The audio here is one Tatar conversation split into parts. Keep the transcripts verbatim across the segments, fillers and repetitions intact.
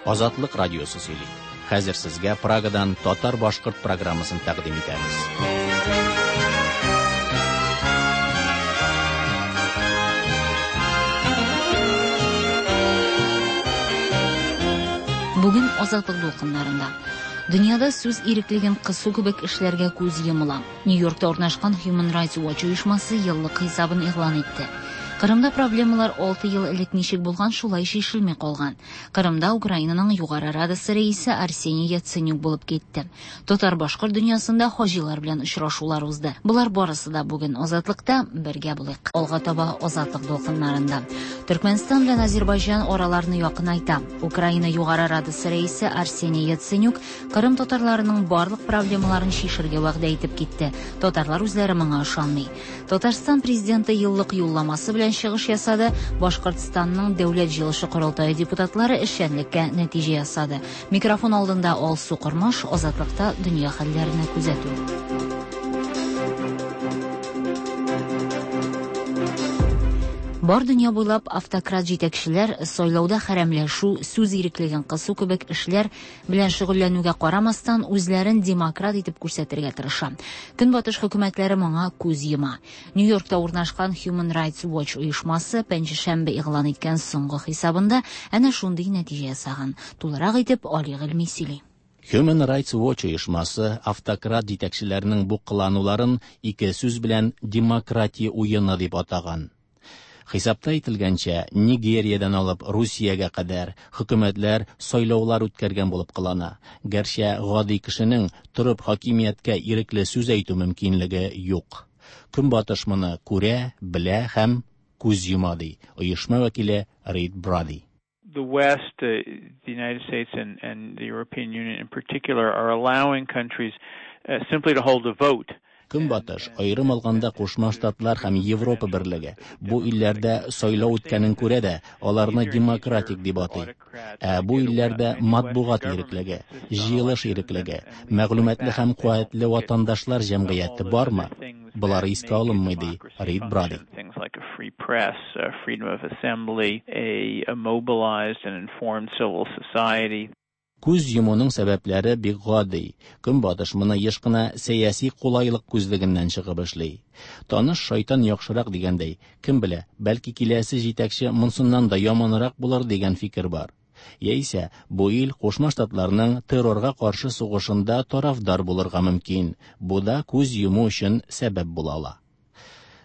Азатлык радиосы сөйли. Хәзер сезгә Прагадан татар-башкорт программасын тәкъдим итәбез. Бүген Азатлык дулкыннарында дөньяда сүз иреклеген кысу кебек эшләргә күз йомыла. Нью-Йоркта урнашкан Human Rights Watch оешмасы еллык хисабын игълан итте. Кырымда проблемалар алты ел элек ничек булган, шулай чишелми калган. Кырымда Украинаның Югары Радасы рәисе Арсений Яценюк булып китте. Татар-башкорт дөньясында хаҗилар белән очрашулар узды. Болар барысы да бүген Азатлыкта, бергә булыйк. Алга таба Азатлык дулкыннарында. Төркмәнстан белән Азербайҗан араларны якынайта. Украина Югары Радасы рәисе Арсений Яценюк Кырым татарларының барлык проблемаларын чишергә вәгъдә итеп китте. Татарлар үзләре моңа ышанмый. Татарстан президенты еллык юлламасы белән чыгыш ясады. Башкортстанның Дәүләт җыелышы корылтае депутатлары эшчәнлеккә нәтиҗә ясады. Микрофон алдында Алсу Кормаш, Азатлыкта дөнья хәлләренә күзәтү. Бар дөнья буйлап автократ җитәкчеләр сайлауда хәрәмләшү, сүз иреклеген кысу кебек эшләр белән шөгыльләнүгә карамастан үзләрен демократ итеп күрсәтергә тырыша. Көнбатыш хөкүмәтләре моңа күз йома. Нью-Йоркта урнашкан Human Rights Watch оешмасы пәнҗешәмбе игълан иткән соңгы хисабында әнә шундый нәтиҗә ясаган. Тулырак итеп Али Гыйльми сөйли. Human Rights Watch оешмасы автократ җитәкчеләренең бу кылануларын ике сүз белән демократия уены дип атаган. Хисапта әйтелгәнчә, Нигериядән алып Русиягә кадәр хөкүмәтләр сайлаулар үткәргән булып кылана. Гәрчә гади кешенең торып хакимияткә ирекле сүз әйтү мөмкинлеге юк. Көнбатыш моны күрә, белә һәм күз йома, ди оешма вәкиле Рид Бради. The West, uh, the United States and, and the European Union in particular, are allowing countries uh, simply to hold a vote. Көнбатыш, аерым алганда Кушма Штатлар һәм Европа берлеге, бу илләрдә сайлау үткәнен күрә дә, аларны демократик дип атый. Ә бу илләрдә матбугат иреклеге, җыелыш иреклеге, мәгълүматлы һәм куәтле ватандашлар җәмгыяте бармы? Болар искә алынмый, ди Рид Бради. Things like a free press, a freedom of assembly, a, a mobilized and informed civil society. Күз йомуның сәбәпләре бик гади. Көнбатыш моны еш кына сәяси кулайлык күзлегеннән чыгып эшли. Таныш шайтан яхшырак дигәндәй, кем белә, бәлки киләсе җитәкче монсыннан да яманрак булыр дигән фикер бар. Яисә бу ил Кушма Штатларның террорга каршы сугышында тарафдар булырга мөмкин. Бу да күз йому өчен сәбәп була ала.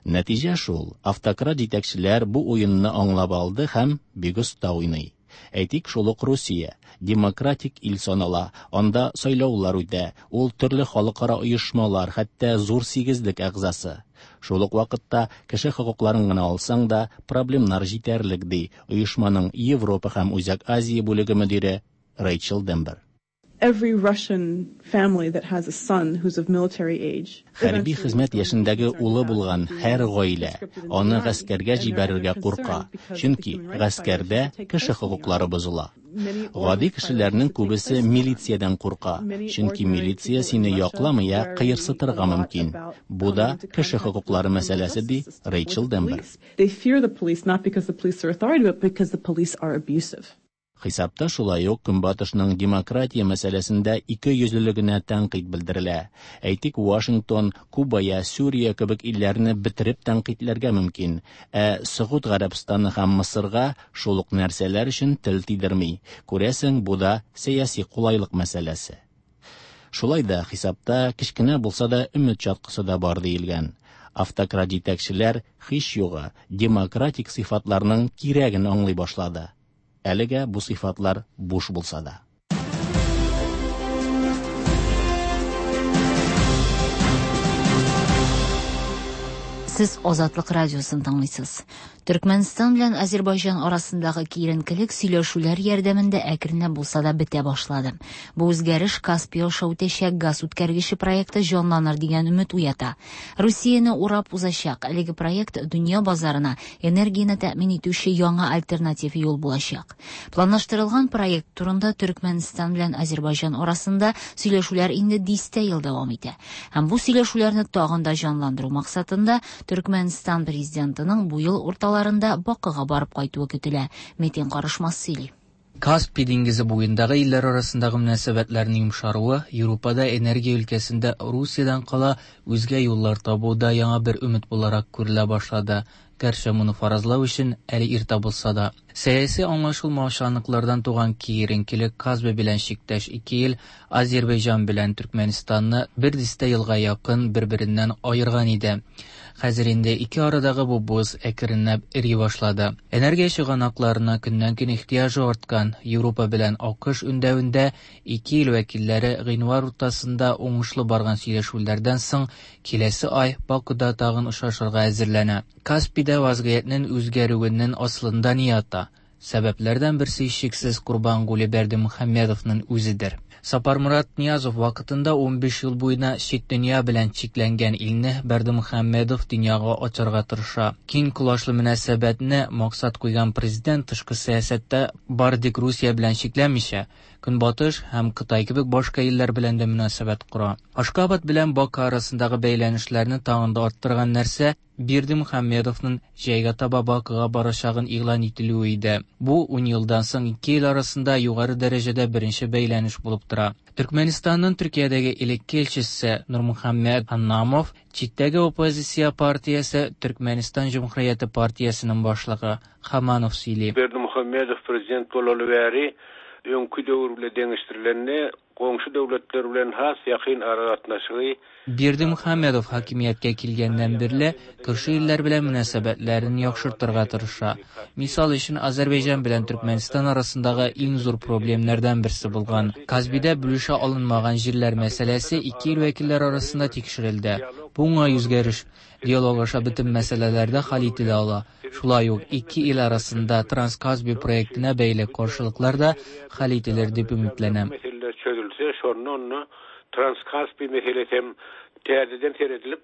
Нәтиҗә шул, автократ җитәкчеләр бу уенны аңлап алды һәм бик оста уйный. Әйтик, шул ук Русия демократик ил санала, анда сайлаулар үтә, ул төрле халыкара оешмалар, хәтта зур сигезлек әгъзасы. Шул ук вакытта кеше хокукларын гына алсаң да проблемнар җитәрлек, ди оешманың Европа һәм Үзәк Азия бүлеге мөдире Рэйчел Дембер. Every Russian family that has a son who's of military age. Хәрби хезмәт яшендәге улы булган һәр гаилә аны гаскәргә җибәрергә курка, чөнки гаскәрдә кеше хокуклары бозыла. Гади кешеләрнең күбесе милициядән курка, чөнки милиция сине якламый, ә кыерсытырга мөмкин. Бу да кеше хокуклары мәсьәләсе, ди Рэйчел Дембер. They fear the police not because the police are authority, but because the police are abusive. Хисапта шулай ук Көнбатышның демократия мәсьәләсендә ике йөзлелегенә тәнкыйть белдерелә. Әйтик, Вашингтон, Куба я Сүрия кебек илләрне бетереп тәнкыйтьләргә мөмкин, ә Согуд Гарәбстаны һәм Мысырга шул ук нәрсәләр өчен тел тидерми. Күрәсең, бу да сәяси кулайлык мәсьәләсе. Шулай да хисапта кечкенә булса да өмет чаткысы да бар диелгән. Автократ җитәкчеләр һич югы демократик сыйфатларның кирәген аңлый башлады. Әлегә бу сыйфатлар буш булса да. Сез Азатлык радиосын тыңлыйсыз. Төркмәнстан белән Азербайҗан арасындагы киеренкелек сөйләшүләр ярдәмендә әкренләп булса да бетә башлады. Бу үзгәреш Каспий аша үтәчәк газ үткәргече проекты җанланыр дигән өмет уята. Русияне урап узачак әлеге проект дөнья базарына энергияне тәэмин итүче яңа альтернатив юл булачак. Планлаштырылган проект турында Төркмәнстан белән Азербайҗан арасында сөйләшүләр инде дистә ел дәвам итә. Һәм бу сөйләшүләрне тагын да җанландыру максатында Төркмәнстан президентының бу ел урталарында Бакыга барып кайтуы көтелә. Метин Карышмас сөйли. Каспий диңгезе буендагы илләр арасындагы мөнәсәбәтләрнең йомшаруы Европада энергия өлкәсендә Русиядән кала үзгә юллар табуда яңа бер өмет буларак күрелә башлады. Гәрчә моны фаразлау өчен әле иртә булса да. Сәяси аңлашылмаучанлыклардан туган киеренкелек Каспий белән чиктәш ике ил Азербайҗан белән Төркмәнистанны бер дистә елга якын бер-береннән аерган иде. Хәзер инде ике арадагы бу боз әкренләп эри башлады. Энергия чыганакларына көннән-көн ихтыяҗы арткан Европа белән АКШ үндәвендә ике ил вәкилләре гыйнвар уртасында уңышлы барган сөйләшүләрдән соң киләсе ай Бакуда тагын очрашырга әзерләнә. Каспийда вазгыятьнең үзгәрүенең асылында ни ята? Сәбәпләрдән берсе һичшиксез Курбангулы Бердымухамедовның үзедер. Сапармурат Ниязов вакытында унбиш ел буена чит дөнья белән чикләнгән илне Бердымухамедов дөньяга ачарга тырыша. Киң колачлы мөнәсәбәтне максат куйган президент тышкы сәясәттә бары тик Русия белән чикләнмичә, Көнбатыш һәм Кытай кебек башка илләр белән дә мөнәсәбәт кора. Ашкабад белән Баку арасындагы бәйләнешләрне тагын да арттырган нәрсә Бердымухамедовның җәйгә таба Бакуга барачагын игълан ителүе иде. Бу ун елдан соң ике ил арасында югары дәрәҗәдә беренче бәйләнеш булып тора. Төркмәнистанның Төркиядәге элекке илчесе Нурмухаммед Ханнамов читтәге оппозиция партиясе Төркмәнистан Җөмһүрияте партиясенең башлыгы Хаманов сөйли. Бердымухамедов президент болалы бәри öňkü döwür bilen deňeşdirilende goňşy döwletler bilen has ýakyn aragatnaşygy Бердымухамедов хакимияткә килгәннән бирле күрше илләр белән мөнәсәбәтләрен яхшыртырга тырыша. Мисал өчен Азербайҗан белән Төркмәнстан арасындагы иң зур проблемнәрдән берсе булган Казбидә бүлешә алынмаган җирләр мәсьәләсе ике ил вәкилләре арасында тикшерелде. Бу уңай үзгәреш диалог аша бөтен мәсьәләләрдә хәл ителә ала. Шулай ук ике ил арасында Транскаспий проектына бәйле каршылыклар да хәл ителер дип өметләнәм. Транскаспий meselesi hem täzeden seredilip,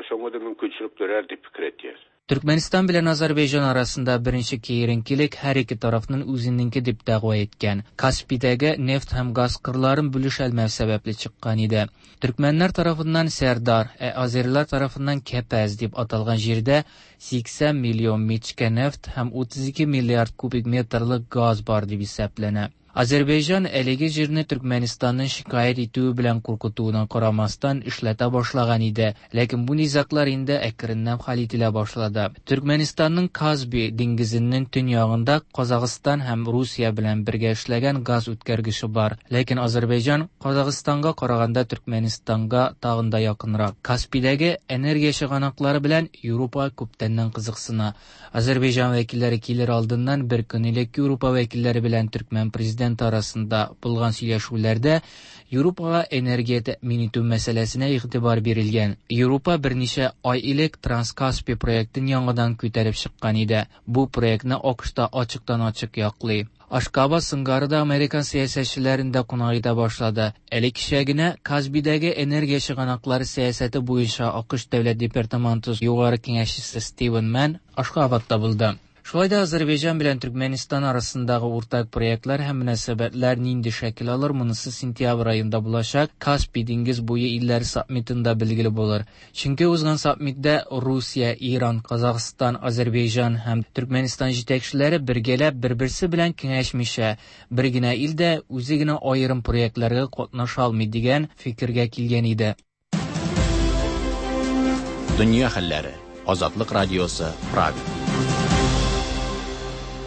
şoňa da mümkinçilik dörer diýip pikir etýär. Türkmenistan bilen Azerbaycan arasında birinci kiyerinkilik hər iki tarafının үзенеңке дип дәгъва иткән. Каспийдәге нефть һәм газ кырларын бүлешәлмәү сәбәпле чыккан иде. Төркмәннәр тарафыннан Сәрдар, ә азерлар тарафыннан Кәпәз дип аталган җирдә сиксән миллион мичкә нефть һәм утыз ике миллиард кубик метрлык газ бар дип исәпләнә. Азербайҗан әлеге җирне Төркмәнистанның шикаять итүе белән куркытуына карамастан эшләтә башлаган иде. Ләкин бу низаглар инде әкренләп хәл ителә башлады. Төркмәнистанның Казби диңгезенең төньягында Казахстан һәм Русия белән бергә эшләгән газ үткәргече бар. Ләкин Азербайҗан Казахстанга караганда Төркмәнистанга тагын да якынрак. Каспийдәге энергия чыганаклары белән Европа күптәннән кызыксына. Азербайҗан вәкилләре килер алдыннан бер көн элек Европа вәкилләре белән Төркмән президенты арасында булган сөйләшүләрдә Европага энергия тәэмин итү мәсьәләсенә игътибар бирелгән. Европа берничә ай элек Транскаспий проектын яңадан күтәреп чыккан иде. Бу проектны АКШта ачыктан-ачык яклый. Ашкабад сыңгары да Американ сәясәтчеләрен дә кунак итә башлады. Әле кичә генә Казбидәге энергия чыганаклары сәясәте буенча АКШ Дәүләт департаменты югары киңәшчесе Стивен Мэн Ашкабадта булды. Шулай да Азербайҗан белән Төркмәнистан арасындагы уртак проектлар һәм мөнәсәбәтләр нинди шәкел алыр, монысы сентябрь аенда булачак Каспий диңгез буе илләре саммитында билгеле булыр. Чөнки узган саммитта Русия, Иран, Казахстан, Азербайҗан һәм Төркмәнистан җитәкчеләре бергәләп бер-берсе белән киңәшмичә, бер генә илдә үзе генә аерым проектларга катнаша алмый дигән фикергә килгән иде. Дөнья хәлләре. Азатлык радиосы, Прага.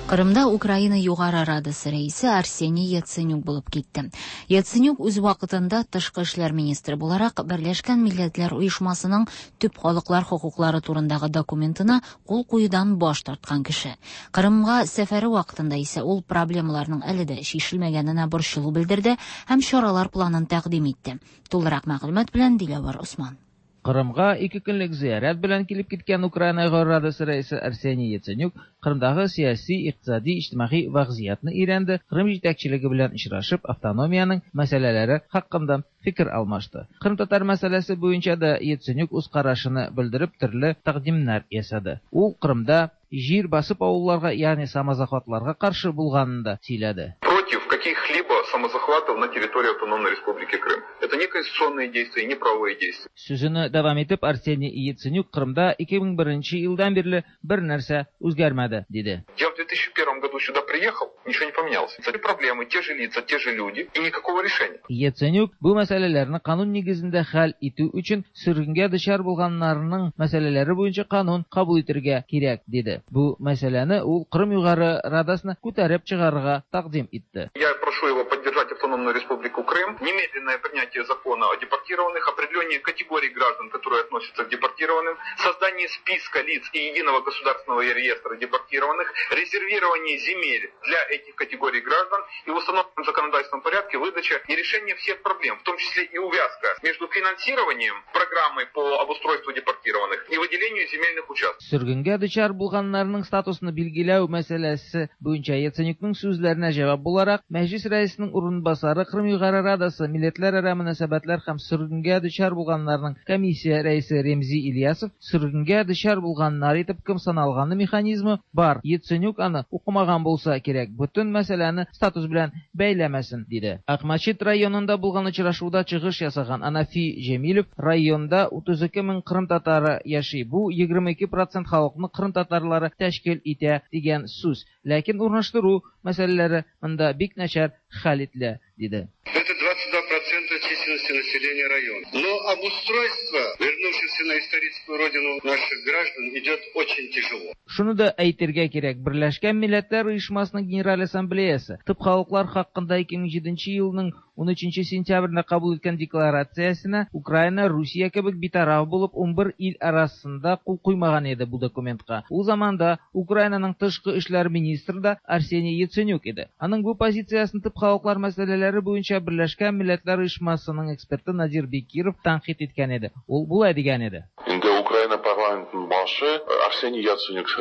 Кырымда Украина Югары Радасы рәисе Арсений Яценюк булып китте. Яценюк үз вакытында тышкы эшләр министры буларак Берләшкән Милләтләр Оешмасының төп халыклар хокуклары турындагы документына кул куюдан баш тарткан кеше. Кырымга сәфәре вакытында исә ул проблемаларның әле дә чишелмәгәненә борчылу белдерде һәм чаралар планын тәкъдим итте. Тулырак мәгълүмат белән Диләвар Усман. Кырымга ике көнлек зиярат белән килеп киткән Украина Югары Радасы рәисе Арсений Яценюк Кырымдагы сәяси, икътисади, иҗтимагый вазгыятьне өйрәнде, Кырым җитәкчелеге белән очрашып, автономиянең мәсьәләләре хакында фикер алмашты. Кырым татар мәсьәләсе буенча да Яценюк үз карашын белдереп, төрле тәкъдимнәр ясады. Ул Кырымда җир басып авылларга, ягъни самозахватларга каршы булганын да сөйләде. Против каких-либо самозахватов на территории Автономной Республики Крым. Это не конституционные действия, не правовые действия. Сүзен дәвам итеп Арсений Яценюк Кырымда ике мең беренче елдан бирле бер нәрсә үзгәрмәде, диде. Я в две тысячи первом году сюда приехал, ничего не поменялось. Те проблемы, те же лица, те же люди и никакого решения. Яценюк бу мәсьәләләрне канун нигезендә хәл итү өчен сөргенгә дучар булганнарның мәсьәләләре буенча канун кабул итәргә кирәк, диде. Бу мәсьәләне ул Кырым Югары Радасына күтәреп чыгарырга тәкъдим итте. Я прошу его поддержать Автономную Республику Крым, немедленное принятие закона о депортированных, определение категорий граждан, которые относятся к депортированным, создание списка лиц и единого государственного реестра депортированных, резервирование земель для этих категорий граждан и в установленном законодательном порядке выдача и решение всех проблем, в том числе и увязка между финансированием программы по обустройству депортированных и выделению земельных участков. Сөргенгә дучар булганнарның статусын билгеләү мәсьәләсе буенча Яценюкның сүзләренә җавап буларак, Мәҗлис рәисенең урынбасары Кырым Югары Радасы милләтләрара мөнәсәбәтләр һәм сөргенгә дучар булганнарның комиссия рәисе Ремзи Ильясов сөргенгә дучар булганнар итеп кем саналганы механизмы бар. Яценюк аны укымаган булса кирәк, бөтен мәсьәләне статус белән бәйләмәсен, диде. Акмәчет районында булган очрашуда чыгыш ясаган Анафи Җәмилев районда утыз ике мең кырым татары яши. Бу егерме ике процент халыкны кырым татарлары тәшкил итә дигән сүз. Ләкин урнаштыру мәсьәләләре монда бик начар хәл ителә, диде. Это двадцать два процента численности населения района. Но обустройство вернувшихся на историческую родину наших граждан идет очень тяжело. Шуны да әйтергә кирәк, Берләшкән Милләтләр Оешмасының Генераль Ассамблеясы төп халыклар хакында ике мең җиденче елның ун өченче сентябрендә кабул иткән декларациясенә Украина, Русия кебек битараф булып ун бер ил арасында кул куймаган иде бу документка. Ул заманда Украинаның тышкы эшләр министры да Арсений Яценюк иде. Аның бу позициясын төп халыклар мәсьәләләре буенча Берләшкән Милләтләр Оешмасының эксперты Надир Бекиров тәнкыйть иткән иде. Ул болай дигән иде. Инде Украина парламентының башы Арсений Яценюк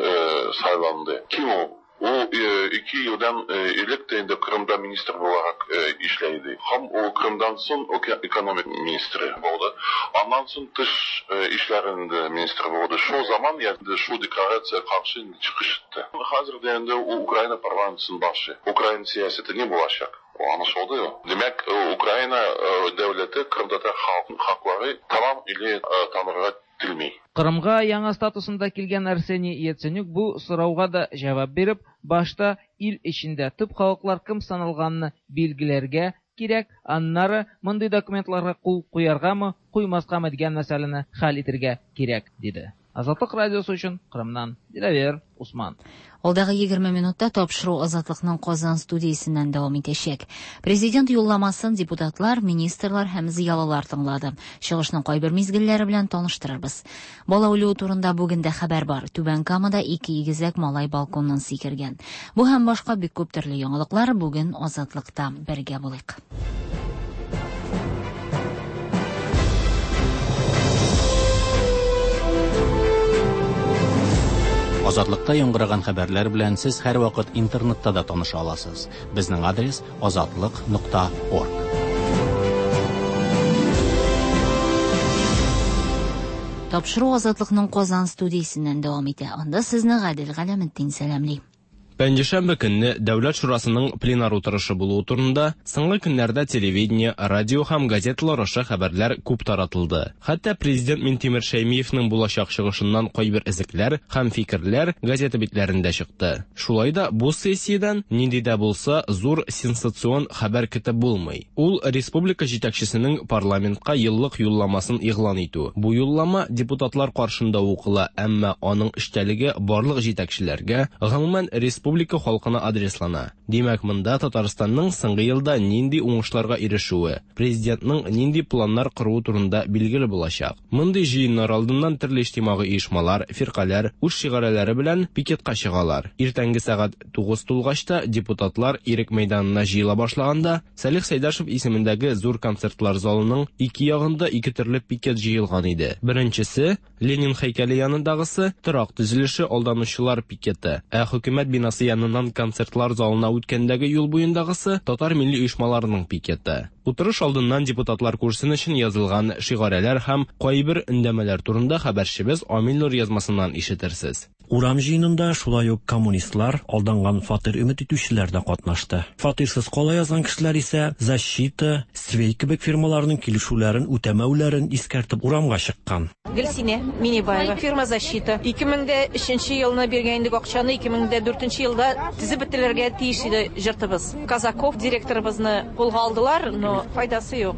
сайланды. Ким ул? Ул ике елдан элек тә инде Кырымда министр буларак эшләйде. Һәм ул Кырымдан соң экономик министры булды. Аннан соң тыш эшләрендә министр булды. Шул заман инде шул декларация каршы чыгыш итте. Хәзер дә инде ул Украина парламентының башы. Украина сәясәте ни булачак? Anlaşıldı. Demek Ukrayna devleti Kırımtatar halkları tamam ile tanırga tilmey. Кырымга яңа статусында килгән Арсений Яценюк бу сорауга да җавап биреп, башта ил эчендә төп халыклар кем саналганны билгеләргә кирәк, аннары мондый документларга кул куяргамы, куймаскамы дигән мәсьәләне хәл итәргә кирәк, диде. Азатлык радиосы өчен Кырымнан Диләвер Усман. Алдагы егерме минутта тапшыру Азатлыкның Казан студиясеннән дәвам итәчәк. Президент юлламасын депутатлар, министрлар һәм зыялылар тыңлады. Чыгышның кайбер мизгелләре белән таныштырырбыз. Бала үлүе турында бүген дә хәбәр бар. Түбән Камада ике игезәк малай балконнан сикергән. Бу һәм башка бик күп төрле яңалыклар бүген Азатлыкта. Бергә булыйк. Азатлыкта яңгыраган хәбәрләр белән сез һәрвакыт интернетта да таныша аласыз. Безнең адрес азатлык нокта орг. Тапшыру Азатлыкның Казан студиясеннән дәвам итә. Анда сезне Гадел Галәметдин сәламли. Пәнҗешәмбе көнне Дәүләт Шурасының пленар утырышы булуы турында соңгы көннәрдә телевидение, радио һәм газеталар аша хәбәрләр күп таратылды. Хәтта президент Минтимер Шәймиевның булачак чыгышыннан кайбер эзлекләр һәм фикерләр газета битләрендә чыкты. Шулай да бу сессиядән нинди дә булса зур сенсацион хәбәр көтеп булмый. Ул республика җитәкчесенең парламентка еллык юлламасын игълан итү. Бу юллама депутатлар каршында укыла, әмма аның эчтәлеге барлык җитәкчеләргә, гомумән республика Республика халкына адреслана. Димәк, монда Татарстанның соңгы елда нинди уңышларга ирешүе, президентның нинди планнар коруы турында билгеле булачак. Мондый җыеннар алдыннан төрле иҗтимагый оешмалар, фиркаләр үз шигарәләре белән пикетка чыгалар. Иртәнге сәгать тугыз тулгач та депутатлар Ирек мәйданына җыела башлаганда, Салих Сәйдәшев исемендәге зур концертлар залының ике ягында ике төрле пикет җыелган иде. Беренчесе Ленин һәйкәле янындагысы торак төзелеше алданучылар пикеты, ә хөкүмәт бинасы яныннан концертлар залына үткәндәге юл буендагысы татар милли оешмаларының пикеты. Утырыш алдыннан депутатлар күрсен өчен язылган шигарәләр һәм кайбер өндәмәләр турында хәбәрчебез Амил Нур язмасыннан ишетерсез. Урам җыенында шулай ук коммунистлар, алданган фатир өмет итүчеләр дә катнашты. Фатирсыз кала язган кешеләр исә «Защита», «Свей» кебек фирмаларның килешүләрен үтәмәүләрен искәртеп урамга чыккан. Гөлсинә Минибаева, фирма «Защита». ике мең дә өченче елны биргән идек акчаны, ике мең дә дүртенче елда төзеп бетерергә тиеш иде йортыбыз. Казаков директорыбызны кулга алдылар, но файдасы юк.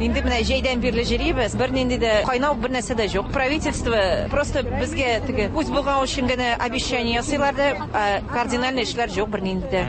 Инде менә җәйдән бирле йөрибез, бернинди дә кайнау бер нәрсә дә юк. Правительство просто безгә теге үз булган өчен генә обещание ясыйлар да, кардинальный эшләр юк бернинди дә.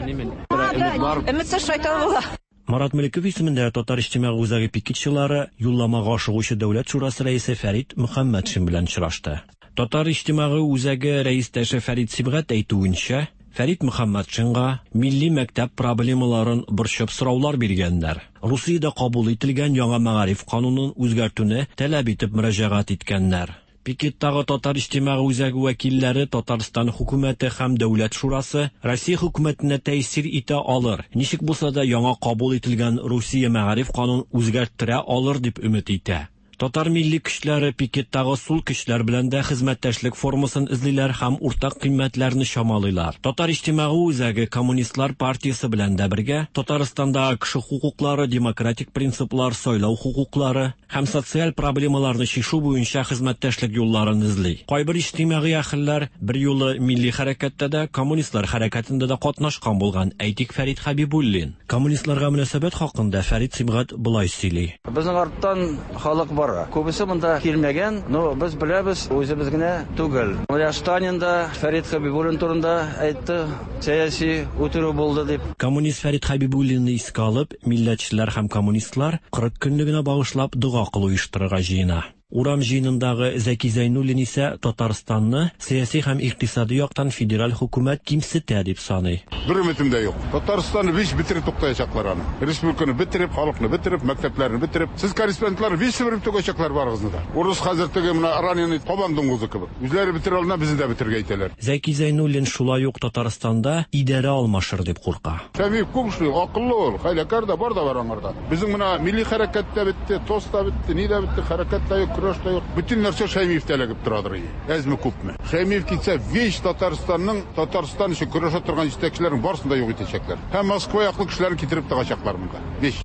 Өметсез шайтан була. Марат Мөлеков исемендәге Татар иҗтимагый үзәге пикетчылары юлламага ашыгучы Дәүләт шурасы рәисе Фәрит Мөхәммәтшин белән очрашты. Татар иҗтимагый үзәге рәистәше Фәрит Сибгат әйтүенчә, Фәрит Мөхәммәтшинга милли мәктәп проблемаларын борчып сораулар биргәннәр. Русиядә кабул ителгән яңа мәгариф канунын үзгәртүне таләп итеп мөрәҗәгать иткәннәр. Пикеттагы Татар иҗтимагый үзәге вәкилләре Татарстан хөкүмәте һәм Дәүләт шурасы Россия хөкүмәтенә тәэсир итә алыр, ничек булса да яңа кабул ителгән Русия мәгариф канунын үзгәрттерә алыр дип өмет итә. Татар милли көчләре пикеттагы сул көчләр белән дә хезмәттәшлек формасын эзлиләр һәм уртак кыйммәтләрне чамалыйлар. Татар иҗтимагый үзәге Коммунистлар партиясе белән дә бергә Татарстанда кеше хокуклары, демократик принциплар, сайлау хокуклары һәм социаль проблемаларны чишү буенча хезмәттәшлек юлларын эзли. Кайбер иҗтимагый әһелләр бер юлы милли хәрәкәттә дә, коммунистлар хәрәкәтендә дә катнашкан булган. Әйтик, Фәрит Хәбибуллин. Коммунистларга мөнәсәбәт хакында Фәрит Сибгат болай сөйли. Безнең арттан халык бар. Күбесе монда килмәгән, но без беләбез, үзебез генә түгел. Менә Сталин да Фәрит Хәбибуллин турында әйтте, сәяси үтерү булды дип. Коммунист Фәрит Хәбибуллинны искә алып, милләтчеләр һәм коммунистлар кырык көнлегенә багышлап дога кылу оештырырга җыена. Урам җыенындагы Зәки Зәйнуллин исә Татарстанны сәяси һәм икътисади яктан федераль хөкүмәт кимсетә дип саный. Бер өметем дә юк. Татарстанны биш бетереп туктаячаклар аны. Республиканы бетереп, халыкны бетереп, мәктәпләрне бетереп. Сез корреспондентлар биш себереп түгәчәкләр барыгызны да. Урыс хәзер теге менә раненый кабан дуңгызы кебек. Үзләре бетерә алмый, безне дә бетерергә әйтәләр. Зәки Зәйнуллин шулай ук Татарстанда идарә алмашыр дип курка. Шәмиев күп эшли, акыллы ул, хәйләкәр дә бар да бар аңарда. Безнең менә милли хәрәкәт тә бетте, ТОС та бетте, ни дә бетте, хәрәкәт тә юк, көрәш тә юк. Бөтен нәрсә Шәймиевтә эләгеп торадыр. Әзме күпме. Шәймиев китсә, весь Татарстанның Татарстан өчен көрәшә торган җитәкчеләрнең барысын да юк итәчәкләр. Һәм Москва яклы кешеләрен китереп тыгачаклар монда. Весь.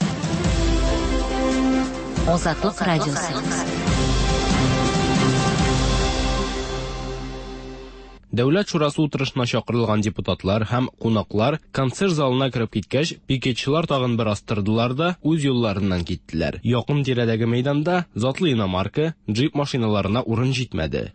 Азатлык радиосы. Дәүләт шурасы утырышына чакырылган депутатлар һәм кунаклар концерт залына кереп киткәч, пикетчылар тагын бер астырдылар да үз юлларыннан киттеләр. Якын тирәдәге мәйданда затлы иномарка, джип машиналарына урын җитмәде.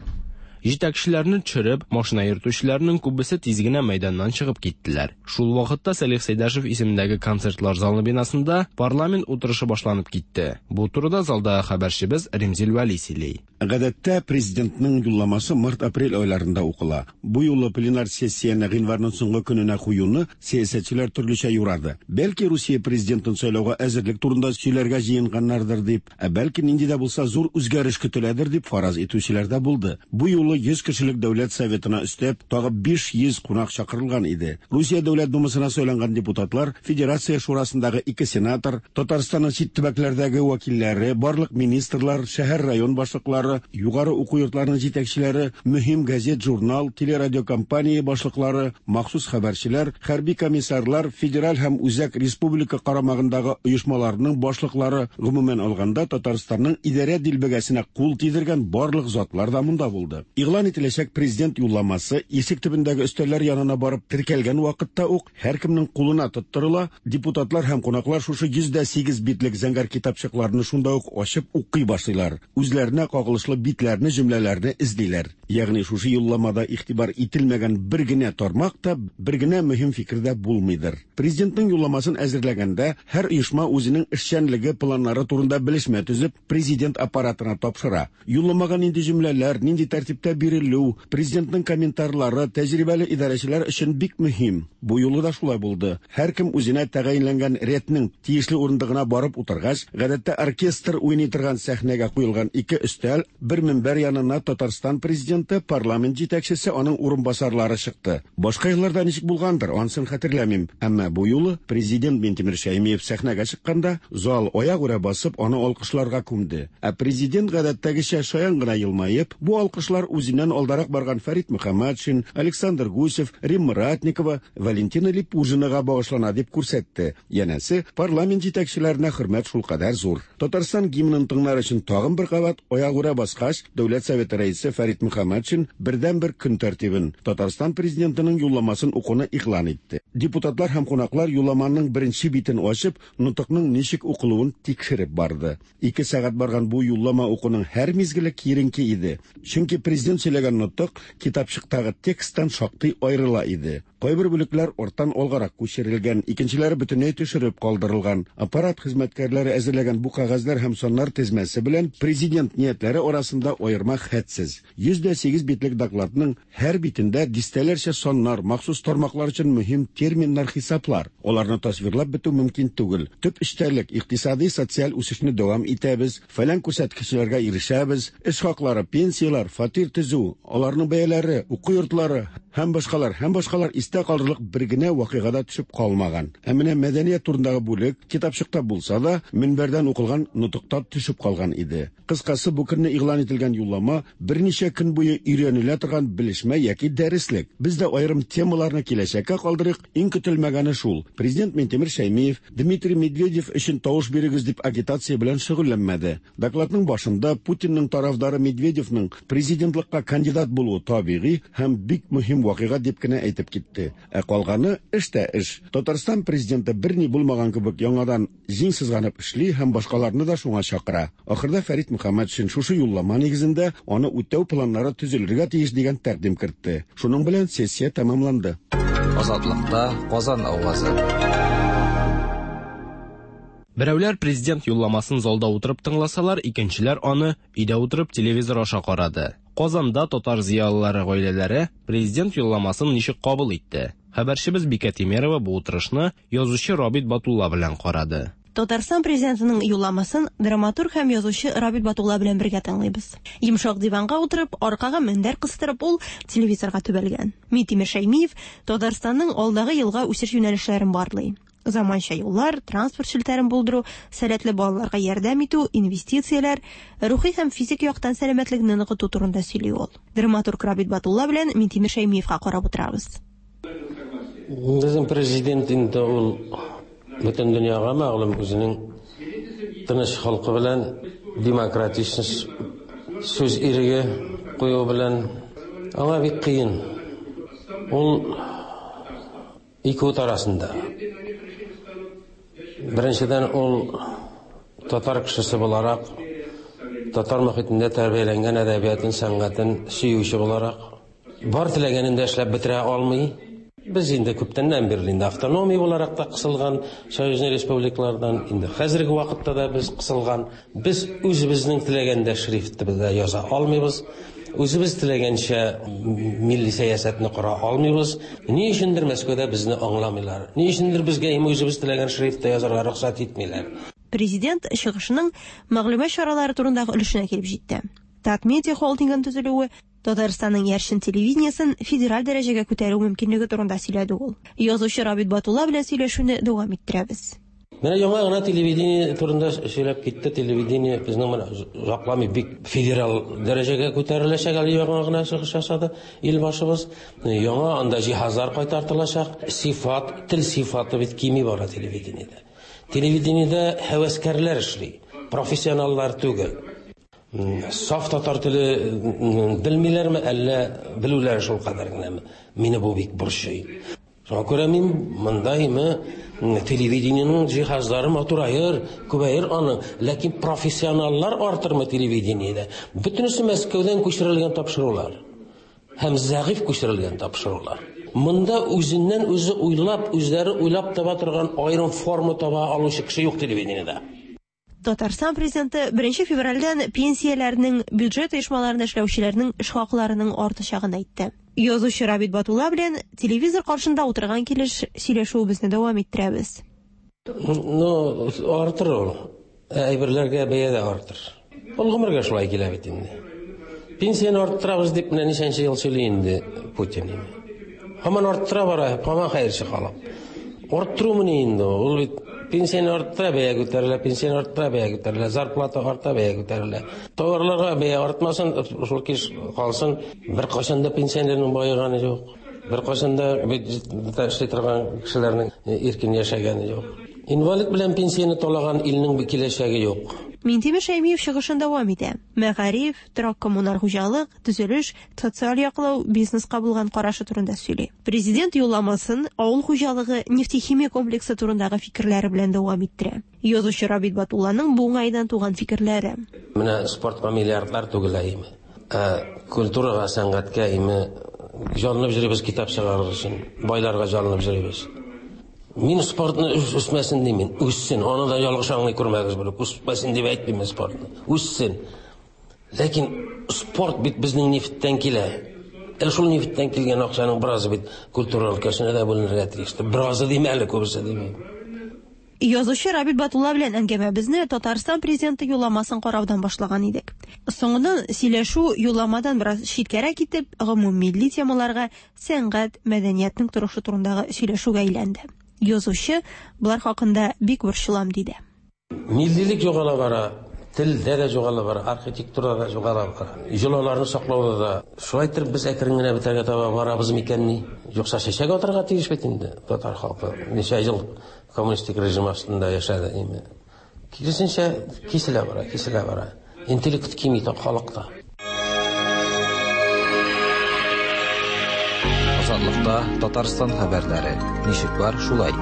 Җитәкчеләрне төшереп, машина йөртүчеләрнең күбесе тиз генә мәйданнан чыгып киттеләр. Шул вакытта Сәлих Сәйдәшев исемендәге концертлар залы бинасында парламент утырышы башланып китте. Бу турыда залдагы хәбәрчебез Римзил Вәли сөйли. Гадәттә президентның юлламасы март-апрель айларында укыла. Бу юлы пленар сессияне гыйнварның соңгы көненә куюны сәясәтчеләр төрлечә юрады. Бәлки Русия президентын сайлауга әзерлек турында сөйләргә җыенганнардыр дип, ә бәлки нинди дә булса зур үзгәреш көтеләдер дип фараз итүчеләр дә булды. Бу юлы йөз кешелек Дәүләт Советына өстәп, тагы биш йөз кунак чакырылган иде. Русия Дәүләт Думасына сайланган депутатлар, Федерация Шурасындагы ике сенатор, Татарстанның чит төбәкләрдәге вәкилләре, барлык министрлар, шәһәр-район башлыклары, югары уку йортларының җитәкчеләре, мөһим газет, журнал, телерадиокомпания башлыклары, махсус хәбәрчеләр, хәрби комиссарлар, федераль һәм үзәк республика карамагындагы оешмаларның башлыклары, гомумән алганда Татарстанның идарә дилбегәсенә кул тидергән барлык затлар да монда булды. Игълан ителәчәк президент юлламасы ишек төбендәге өстәлләр янына барып теркәлгән вакытта ук һәркемнең кулына тоттырыла. Депутатлар һәм кунаклар шушы йөз дә сигез битлек зәңгәр китапчыкларны шунда ук ачып укый башлыйлар. Үзләренә кагылышлы битләрне, җөмләләрне эзлиләр. Ягъни шушы юлламада игътибар ителмәгән бер генә тармак та, бер генә мөһим фикер дә булмыйдыр. Президентның юлламасын әзерләгәндә һәр оешма үзенең эшчәнлеге планнары турында белешмә төзеп, президент аппаратына тапшыра. Юлламага нинди җөмләләр, нинди тәртиптә бирелү, президентның комментарлары тәҗрибәле идарәчеләр өчен бик мөһим. Бу юлы да шулай булды. Һәркем үзенә тәгаенләнгән рәтнең тиешле урындыгына барып утыргач, гадәттә оркестр уйный торган сәхнәгә куелган ике өстәл, бер минбәр янына Татарстан президенты, парламент җитәкчесе, аның урынбасарлары чыкты. Башка елларда ничек булгандыр, анысын хәтерләмим. Әмма бу юлы президент Минтимер Шәймиев сәхнәгә чыкканда, зал аягүрә басып, аны алкышларга күмде. Ә президент гадәттәгечә шаян гына елмаеп, бу алкышлар үзеннән алдарак барган Фәрит Мөхәммәтшин, Александр Гусев, Римма Ратникова, Валентина Липужинага багышлана дип күрсәтте. Янәсе, парламент җитәкчеләренә хөрмәт шулкадәр зур. Татарстан гимнын тыңлар өчен тагын бер кабат аягүрә баскач, Дәүләт Советы рәисе Фәрит Мөхәммәтшин бердәнбер көн тәртибен, Татарстан президентының юлламасын укуны игълан итте. Депутатлар һәм кунаклар юлламаның беренче битен ачып, нотыкның ничек укылуын тикшереп барды. Ике сәгать барган бу юллама укуның һәр мизгеле киеренке иде. Чөнки президент сөйләгән нотык китапчыктагы тексттан шактый аерыла иде. Кайбер бүлекләр арттан алгарак күчерелгән, икенчеләре бөтенләй төшереп калдырылган. Аппарат хезмәткәрләре әзерләгән бу кәгазьләр һәм саннар тезмәсе белән президент ниятләре арасында аерма хәтсез. Йөз дә сигез битлек докладның һәр битендә дистәләрчә саннар, махсус тармаклар өчен мөһим терминнар, хисаплар. Аларны тасвирлап бетү мөмкин түгел. Төп эчтәлек икътисади, социаль үсешне дәвам итәбез, фәлән күрсәткечләргә ирешәбез, эш хаклары, пенсияләр, фатир төзү, аларның бәяләре, уку йортлары һәм башкалар, һәм башкалар истә калырлык бер генә вакыйгада төшеп калмаган. Ә менә мәдәният турындагы бүлек китапчыкта булса да, мөнбәрдән укылган нотыкта төшеп калган иде. Кыскасы, бу көнне игълан ителгән юллама берничә көн буе өйрәнелә торган белешмә яки дәреслек. Без дә аерым темаларны киләчәккә калдырыйк. Иң көтелмәгәне шул: президент Минтимер Шәймиев Дмитрий Медведев өчен тавыш бирегез дип агитация белән шөгыльләнмәде. Докладның башында Путинның тарафдары Медведевның президентлыкка кандидат булуы табигый һәм бик мөһим вакыйга дип кенә әйтеп китте. Ә калганы эш тә эш. Татарстан президенты берни булмаган кебек яңадан җиң сызганып эшли һәм башкаларны да шуңа чакыра. Ахырда Фәрит Мөхәммәтшин шушы юллама нигезендә аны үтәү планнары төзелергә тиеш дигән тәкъдим кертте. Шуның белән сессия тәмамланды. Азатлыкта Казан авазы. Берәүләр президент юлламасын залда утырып тыңласалар, икенчеләр аны өйдә утырып телевизор аша карады. Казанда татар зыялылары гаиләләре президент юлламасын ничек кабул итте? Хәбәрчебез Бикә Тимерова бу утырышны язучы Рабит Батулла белән карады. Татарстан президентының юлламасын драматург һәм язучы Рабит Батулла белән бергә тыңлыйбыз. Йомшак диванга утырып, аркага мендәр кыстырып, ул телевизорга төбәлгән. Минтимер Шәймиев Татарстанның алдагы елга үсеш юнәлешләрен барлый. Заманча юллар, транспорт челтәрен булдыру, сәләтле балаларга ярдәм итү, инвестицияләр, рухи һәм физик яктан сәламәтлекне ныгыту турында сөйли ул. Драматург Рабит Батулла белән Минтимер Шәймиевка карап утырабыз. Безнең президент инде ул бөтен дөньяга мәгълүм үзенең тыныч халкы белән демократичность сүз иреге кую белән аңа бик кыен. Ул ике ут арасында. Беренчедән, ул татар кешесе буларак, татар мөхитендә тәрбияләнгән әдәбиятын, сәнгатен сөюче буларак, бар теләгәнен дә эшләп бетерә алмый. Без инде күптәннән бирле инде автономия буларак та кысылган союзный республикалардан, инде хәзерге вакытта да без кысылган. Без үзебезнең теләгәндә шрифтны без яза алмыйбыз. Үзебез теләгәнчә милли сәясәтне кора алмыйбыз. Ни өчендер Мәскәүдә безне аңламыйлар. Ни өчендер безгә үзебез теләгән шрифтта язарга рөхсәт итмиләр. Президент чыгышының мәгълүмат чаралары турындагы өлешенә килеп җитте. Татмедиа холдингын төзелүе Татарстанның яршын телевидениесен федераль дәрәҗәгә күтәрү мөмкинлеге турында сөйләде ул. Язучы Рабит Батулла белән сөйләшүне дәвам иттерәбез. Менә яңа гына телевидение турында сөйләп китте. Телевидение безнең менә озакламый бик федераль дәрәҗәгә күтәреләчәк, әле яңа гына чыгыш ясады илбашыбыз. Яңа анда җиһазлар кайтартылачак. Сифат, тел сифаты бит кими бара телевидениедә. Телевидениедә һәвәскәрләр эшли, профессионаллар түгел. Саф татар теле белмиләрме, әллә белүләре шул кадәр генәме? Мине бу бик борчый. Шуңа күрә мин мондаймы телевидениенең җиһазлары матураер, күбәер аны, ләкин профессионаллар артырмы телевидениедә? Бөтенесе Мәскәүдән күчерелгән тапшырулар һәм зәгыйфь күчерелгән тапшырулар. Монда үзеннән үзе уйлап, үзләре уйлап таба торган аерым форма таба алучы кеше юк телевидениедә. Татарстан президенты беренче февральдән пенсияләрнең, бюджет оешмаларында эшләүчеләрнең эш хакларының артачагын әйтте. Язучы Рабит Батулла белән телевизор каршында утырган килеш сөйләшүебезне дәвам иттерәбез. Ну, артыр ул. Әйберләргә бәя дә артыр. Ул гомергә шулай килә бит инде. Пенсияне арттырабыз дип менә ничәнче ел сөйли инде Путин. Һаман арттыра бара, һаман хәерче халык. Арттыру мени инде ул бит Пенсияне арттыра, бәя күтәрелә, пенсияне арттыра, бәя күтәрелә, зарплата арта, бәя күтәрелә. Товарларга бәя артмасын, шул килеш калсын. Беркайчан да пенсионерның баеганы юк. Беркайчан да бюджетта эшли торган кешеләрнең иркен яшәгәне юк. Инвалид белән пенсияне талаган илнең киләчәге юк. Минтимер Шәймиев чыгышын дәвам итә. Мәгариф, торак-коммуналь хуҗалык, төзелеш, социаль яклау, бизнеска булган карашы турында сөйли. Президент юлламасын авыл хуҗалыгы, нефтехимия комплексы турындагы фикерләре белән дәвам иттерә. Язучы Рабит Батулланың бу уңайдан туган фикерләре. Менә спортка миллиардлар түгелә име. Ә культурага, сәнгатькә име җанланып йөрибез китап чыгарыр өчен, байларга җанланып йөрибез. Мин спортны үсмәсен димин, үссен. Аны да ялгыш аңлый күрмәгез булып, үсмәсен дип әйтмим спортны. Үссен. Ләкин спорт бит безнең нефтьтән килә. Ә шул нефтьтән килгән акчаның беразы бит культура өлкәсенә дә бүленергә тиеш. Беразы дим әле, күбесе димим. Язучы Рабит Батулла белән әңгәмәбезне Татарстан президенты юлламасын караудан башлаган идек. Соңыннан сөйләшү юлламадан бераз читкәрәк китеп, гомуммилли темаларга, сәнгать, мәдәниятнең торышы турындагы сөйләшүгә әйләнде. Язучы булар хакында бик борчылам диде. Миллилек югала бара, телдә дә югала бара, архитектурада да югала бара. Йолаларны саклауда да. Шулай итеп без әкрен генә бетәргә таба барабыз микәнни? Юкса чәчәк атарга тиеш бит инде татар халкы. Ничә ел коммунистик режим астында яшәде инде. Киресенчә киселә бара, киселә бара. Интеллект кими халыкта. Азатлыкта Татарстан хәбәрләре. Ничек бар, шулай.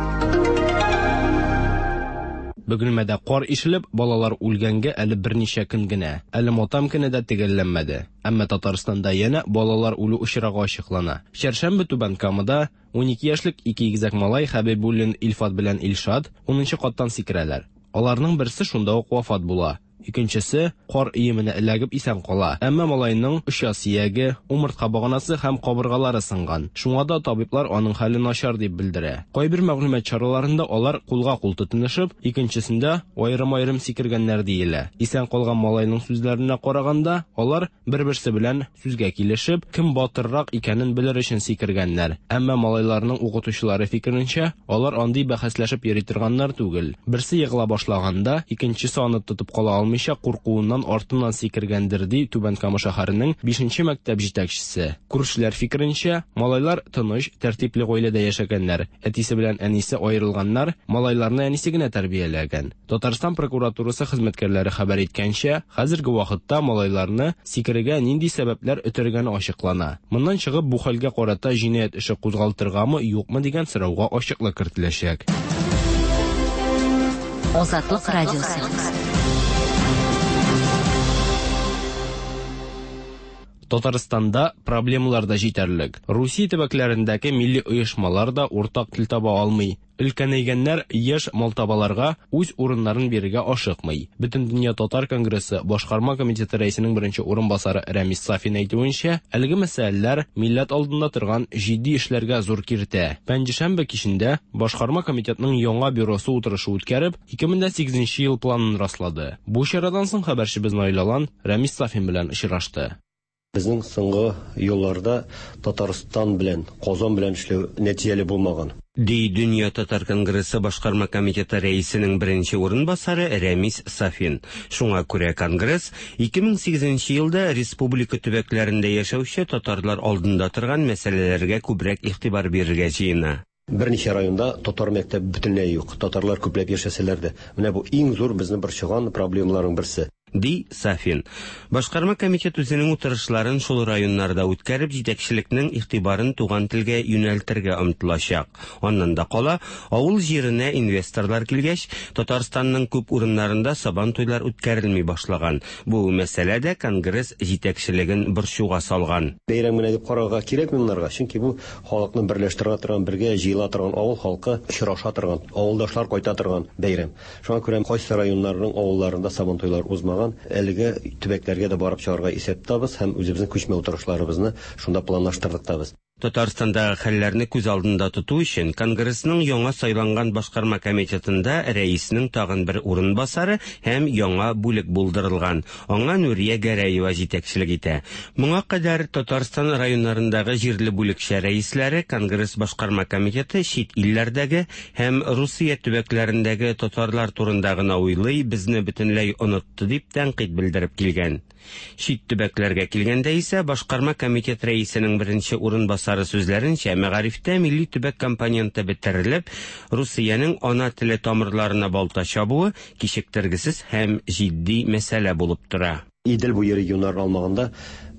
Бөгелмәдә кар ишелеп, балалар үлгәнгә әле берничә көн генә. Әле матам көне дә төгәлләнмәде. Әмма Татарстанда янә балалар үлү очрагы ачыклана. Чәршәмбе Түбән Камада ун ике яшьлек ике игезәк малай Хәбибуллин Илфат белән Илшат унынчы каттан сикерәләр. Аларның берсе шунда ук вафат була. Икенчесе кар өеменә эләгеп исән кала. Әмма малайның оча сөяге, умыртка баганасы һәм кабыргалары сынган. Шуңа да табиблар аның хәле начар дип белдерә. Кайбер мәгълүмат чараларында алар кулга кул тотынышып, икенчесендә аерым-аерым сикергәннәр диелә. Исән калган малайның сүзләренә караганда, алар бер-берсе белән сүзгә килешеп, кем батыррак икәнен белер өчен сикергәннәр. Әмма малайларның укытучылары фикеренчә, алар андый бәхәсләшеп йөри торганнар түгел. Берсе егыла башлаганда, икенчесе аны тотып кала алмый куркуыннан артыннан сикергәндер, ди Түбән Кама шәһәренең бишенче мәктәп җитәкчесе. Күршеләр фикеренчә, малайлар тыныч, тәртипле гаиләдә яшәгәннәр. Әтисе белән әнисе аерылганнар, малайларны әнисе генә тәрбияләгән. Татарстан прокуратурасы хезмәткәрләре хәбәр иткәнчә, хәзерге вакытта малайларны сикерергә нинди сәбәпләр өтергәне ачыклана. Моннан чыгып, бу хәлгә карата җинаять эше кузгалтыргамы, юкмы дигән сорауга ачыклык кертеләчәк. Азатлык радиосы. Татарстанда проблемалар да җитәрлек. Русия төбәкләрендәге милли оешмалар да уртак тел таба алмый. Өлкәнәйгәннәр яшь малтабаларга үз урыннарын бирергә ашыкмый. Бөтендөнья татар конгрессы башкарма комитеты рәисенең беренче урынбасары Рәмис Сафин әйтүенчә, әлеге мәсьәләләр милләт алдында торган җитди эшләргә зур киртә. Пәнҗешәмбе кичендә башкарма комитетның яңа бюросы утырышы үткәреп, ике мең дә сигезенче ел планын раслады. Бу чарадан соң хәбәрчебез Наил Алан Рәмис Сафин белән очрашты. Безнең соңгы елларда Татарстан белән, Казан белән эшләү нәтиҗәле булмаган. Ди Дөнья татар конгрессы башкарма комитеты рәисенең беренче урынбасары Рәмис Сафин. Шуңа күрә конгресс ике мең сигезенче елда республика төбәкләрендә яшәүче татарлар алдында торган мәсьәләләргә күбрәк игътибар бирергә җыена. Берничә районда татар мәктәбе бөтенләй юк. Татарлар күпләп яшәсәләр дә. Менә бу иң зур безне борчыган проблемаларның берсе. Ди Сафин. Башкарма комитет үзенең утырышларын шул районнарда үткәреп, җитәкчелекнең игътибарын туган телгә юнәлтергә омтылачак. Аннан да кала, авыл җиренә инвесторлар килгәч, Татарстанның күп урыннарында сабан туйлар үткәрелми башлаган. Бу мәсьәлә дә конгресс җитәкчелеген борчуга салган. Бәйрәм генә дип карарга кирәкми моннарга, чөнки бу халыкны берләштерә торган, бергә җыела торган, авыл халкы очраша торган, авылдашлар кайта торган бәйрәм. Шуңа күрә кайсы районнарның авылларында сабан туйлар узмаган, әлеге төбәкләргә дә барып чыгарга исәп тотабыз һәм үзебезнең күчмә утырышларыбызны шунда планлаштырдык та без. Татарстандагы хәлләрне күз алдында тоту өчен Конгрессның яңа сайланган башкарма комитетында рәиснең тагын бер урынбасары һәм яңа бүлек булдырылган. Аңа Нурия Гәрәева җитәкчелек итә. Моңа кадәр Татарстан районнарындагы җирле бүлекчә рәисләре Конгресс башкарма комитеты чит илләрдәге һәм Русия төбәкләрендәге татарлар турында гына уйлый, безне бөтенләй онытты дип тәнкыйть белдереп килгән. Чит төбәкләргә килгәндә исә башкарма комитет рәисенең беренче урынбасары сүзләренчә, мәгарифтә милли төбәк компоненты бетерелеп, Русиянең ана теле тамырларына балта чабуы кичектергесез һәм җитди мәсьәлә булып тора. Идел буе регионнарын алмаганда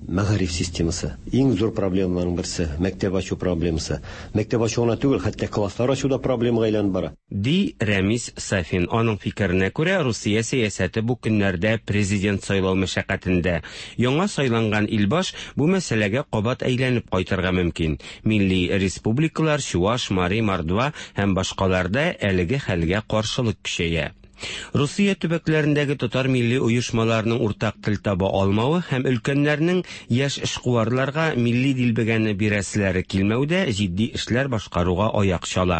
мәгариф системасы иң зур проблемаларның берсе, мәктәп ачу проблемасы. Мәктәп ачу гына түгел, хәтта класслар ачу да проблемага әйләнеп бара. Ди Рәмис Сафин. Аның фикеренә күрә, Русия сәясәте бу көннәрдә президент сайлау мәшәкатендә. Яңа сайланган илбаш бу мәсьәләгә кабат әйләнеп кайтырга мөмкин. Милли республикалар Чуаш, Мари, Мордва һәм башкаларда әлеге хәлгә каршылык көчәя. Русия төбәкләрендәге татар милли оешмаларының уртак тел таба алмавы һәм өлкәннәрнең яшь эшкуарларга милли дилбегәне бирәселәре килмәүдә җитди эшләр башкаруга аяк чала.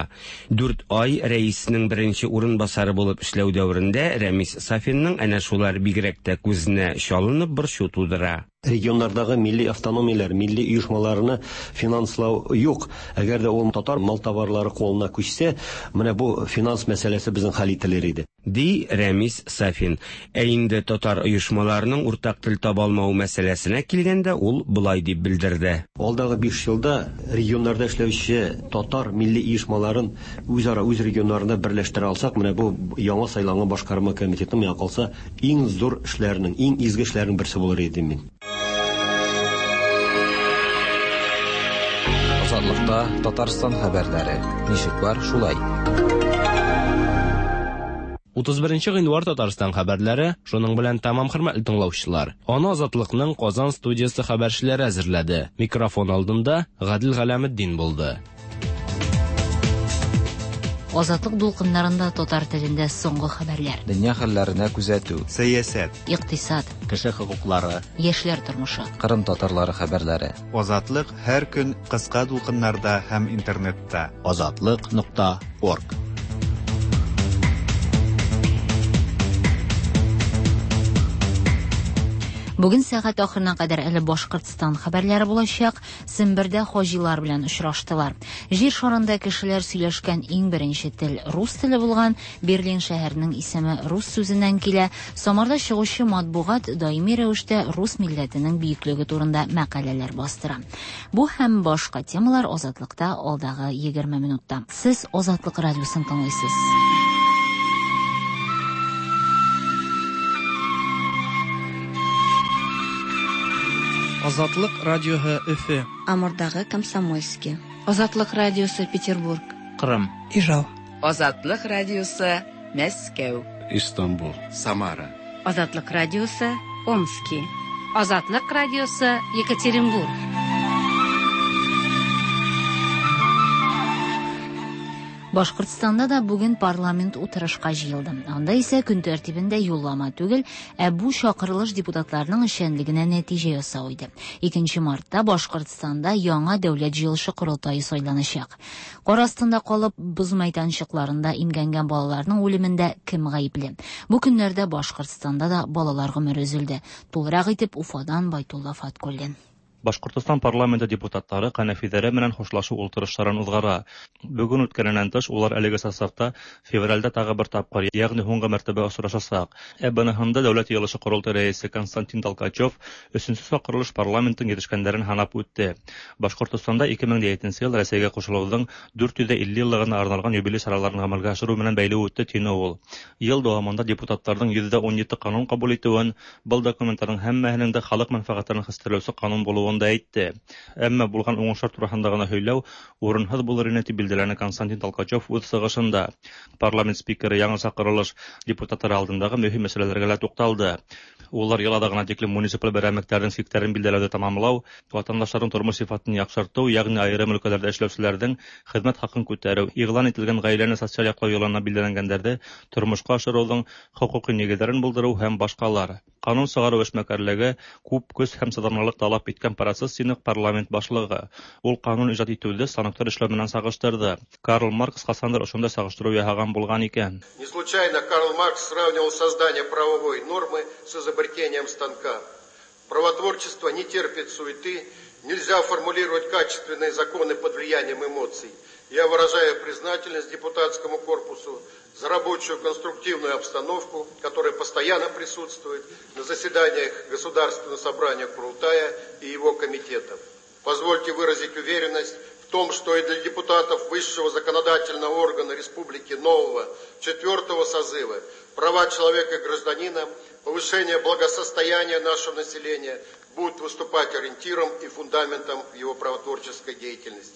Дүрт ай рәиснең беренче урынбасары булып эшләү дәверендә Рәмис Сафинның әнә шулар бигрәк тә күзенә чалынып борчу тудыра. Регионнардагы милли автономияләр, милли оешмаларны финанслау юк. Әгәр дә ул татар мал товарлары кулына күчсә, менә бу финанс мәсьәләсе безнең хәл ителер иде. Ди Рәмис Сафин. Ә инде татар оешмаларының уртак тел таба алмау мәсьәләсенә килгәндә, ул болай дип белдерде. Алдагы биш елда регионнарда эшләүче татар милли оешмаларын үзара үз регионнарында берләштерә алсак, менә бу яңа сайланган башкарма комитетының миңа калса иң зур эшләренең, иң изге эшләренең берсе булыр иде мин. Азатлыкта Татарстан хәбәрләре. Ничек бар, шулай. утыз беренче гыйнвар Татарстан хәбәрләре шуның белән тәмам, хөрмәтле тыңлаучылар. Аны Азатлыкның Казан студиясе хәбәрчеләре әзерләде. Микрофон алдында Гадил Галәметдин булды. Азатлык дулкыннарында татар телендә соңгы хәбәрләр. Дөнья хәлләренә күзәтү, сәясәт, икътисад, кеше хокуклары, яшьләр тормышы, Кырым татарлары хәбәрләре. Азатлык һәр көн кыска дулкыннарда һәм интернетта. Азатлык нокта орг. Бүген сәгать ахырына кадәр әле Башкортстан хәбәрләре булачак. Сембердә хаҗилар белән очраштылар. Җир шарында кешеләр сөйләшкән иң беренче тел рус теле булган. Берлин шәһәренең исеме рус сүзеннән килә. Самарда чыгучы матбугат даими рәвештә рус милләтенең бөеклеге турында мәкаләләр бастыра. Бу һәм башка темалар Азатлыкта алдагы егерме минутта. Сез Азатлык радиосын тыңлыйсыз. Азатлык радиоһы Өфе. Амурдагы Комсомольский. Азатлык радиосы Петербург. Кырым. Ижау. Азатлык радиосы Мәскәү. Истанбул. Самара. Азатлык радиосы Омский. Азатлык радиосы Екатеринбург. Башкортстанда да бүген парламент утырышка җыелды. Анда исә көн тәртибендә юллама түгел, ә бу чакырылыш депутатларның эшчәнлегенә нәтиҗә ясау иде. икенче мартта Башкортстанда яңа дәүләт җыелышы корылтае сайланачак. Кар астында калып, боз мәйданчыкларында имгәнгән балаларның үлемендә кем гаепле? Бу көннәрдә Башкортстанда да балалар гомере өзелде. Тулырак итеп Уфадан Байтулла Фаткуллин. Башкортостан парламенты депутатлары Канәфидәре менән хушлашу ултырышларын узгара. Бүген үткәненнән тыш, улар әлеге составта февральдә тагы бер тапкыр, ягъни һуңгы мәртәбә очрашачак. Ә быныһында Дәүләт йыелышы корылтае рәисе Константин Толкачев өченче чакырылыш парламентын йитешкәннәрен һанап үтте. Башкортостанда ике мең җиденче ел Рәсәйгә кушылуның дүрт йөз илле еллыгына арналган юбилей чараларын гамәлгә ашыру менән бәйле үтте тине ул. Ел дәвамында депутатларның йөздә ун җиде канун кабул итүен, был документларның һәммәһенең дә халык мәнфәгатьләрен хәстәрләүче канун булуын да әйтте. Әмма булган уңышлар турында гына һөйләү урынһыз булыр ине дип билгеләне Константин Толкачев үз чыгышында. Парламент спикеры яңа чакырылыш депутатлары алдындагы мөһим мәсьәләләргә лә тукталды. Улар йыл аҙағына тиклем муниципаль берәмлектәрҙең сиктәрен билдәләүҙе тамамлау, ватандаштарҙың тормош сифатын яҡшыртыу, йәғни айырым өлкәләрҙә эшләүселәрҙең хеҙмәт хаҡын күтәреү, иғлан ителгән ғаиләне социаль яҡлау йылына билдәләнгәндәрҙе тормошҡа ашырыуҙың хоҡуҡи нигеҙҙәрен булдырыу һәм башҡалар. Ҡанун сығарыу эшмәкәрлеге күп көс һәм сыҙамлылыҡ талап иткән процесс, тине парламент башлығы. Ул ҡанун ижад итеүҙе станоктар эшләү менән сағыштырҙы. Карл Маркс ҡасандыр ошондай сағыштырыу яһаған булған икән. Не случайно Карл Маркс сравнивал создание правовой нормы с изобретением станка. Правотворчество не терпит суеты, нельзя формулировать качественные законы под влиянием эмоций. Я выражаю признательность депутатскому корпусу за рабочую конструктивную обстановку, которая постоянно присутствует на заседаниях Государственного собрания Курултая и его комитетов. Позвольте выразить уверенность в том, что и для депутатов высшего законодательного органа Республики нового четвертого созыва права человека и гражданина, повышение благосостояния нашего населения будут выступать ориентиром и фундаментом его правотворческой деятельности.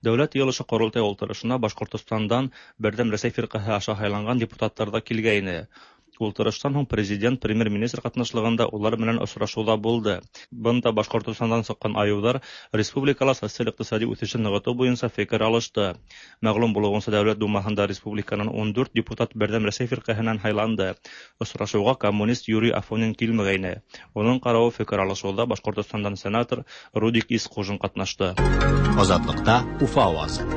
Дәүләт йыйылышы Ҡоролтай ултырышына Башҡортостандан Берҙәм Рәсәй фирҡәһе аша һайланған депутаттар ҙа килгәйне. Ултырыштан һуң президент, премьер-министр ҡатнашлығында улар менән осрашыуҙа булды. Бында Башҡортостандан сыҡҡан айыуҙар республикала социаль-иҡтисади үҫешен нығытыу буйынса фекер алышты. Мәғлүм булыуынса, Дәүләт Думаһында республиканан ун дүрт депутат Берҙәм Рәсәй фирҡәһенән һайланды. Осрашыуға коммунист Юрий Афонин килмәгәйне. Уның ҡарауы фекер алышыуҙа Башҡортостандан сенатор Рудик Исҡужин ҡатнашты. Азатлыҡта Уфа ауазы.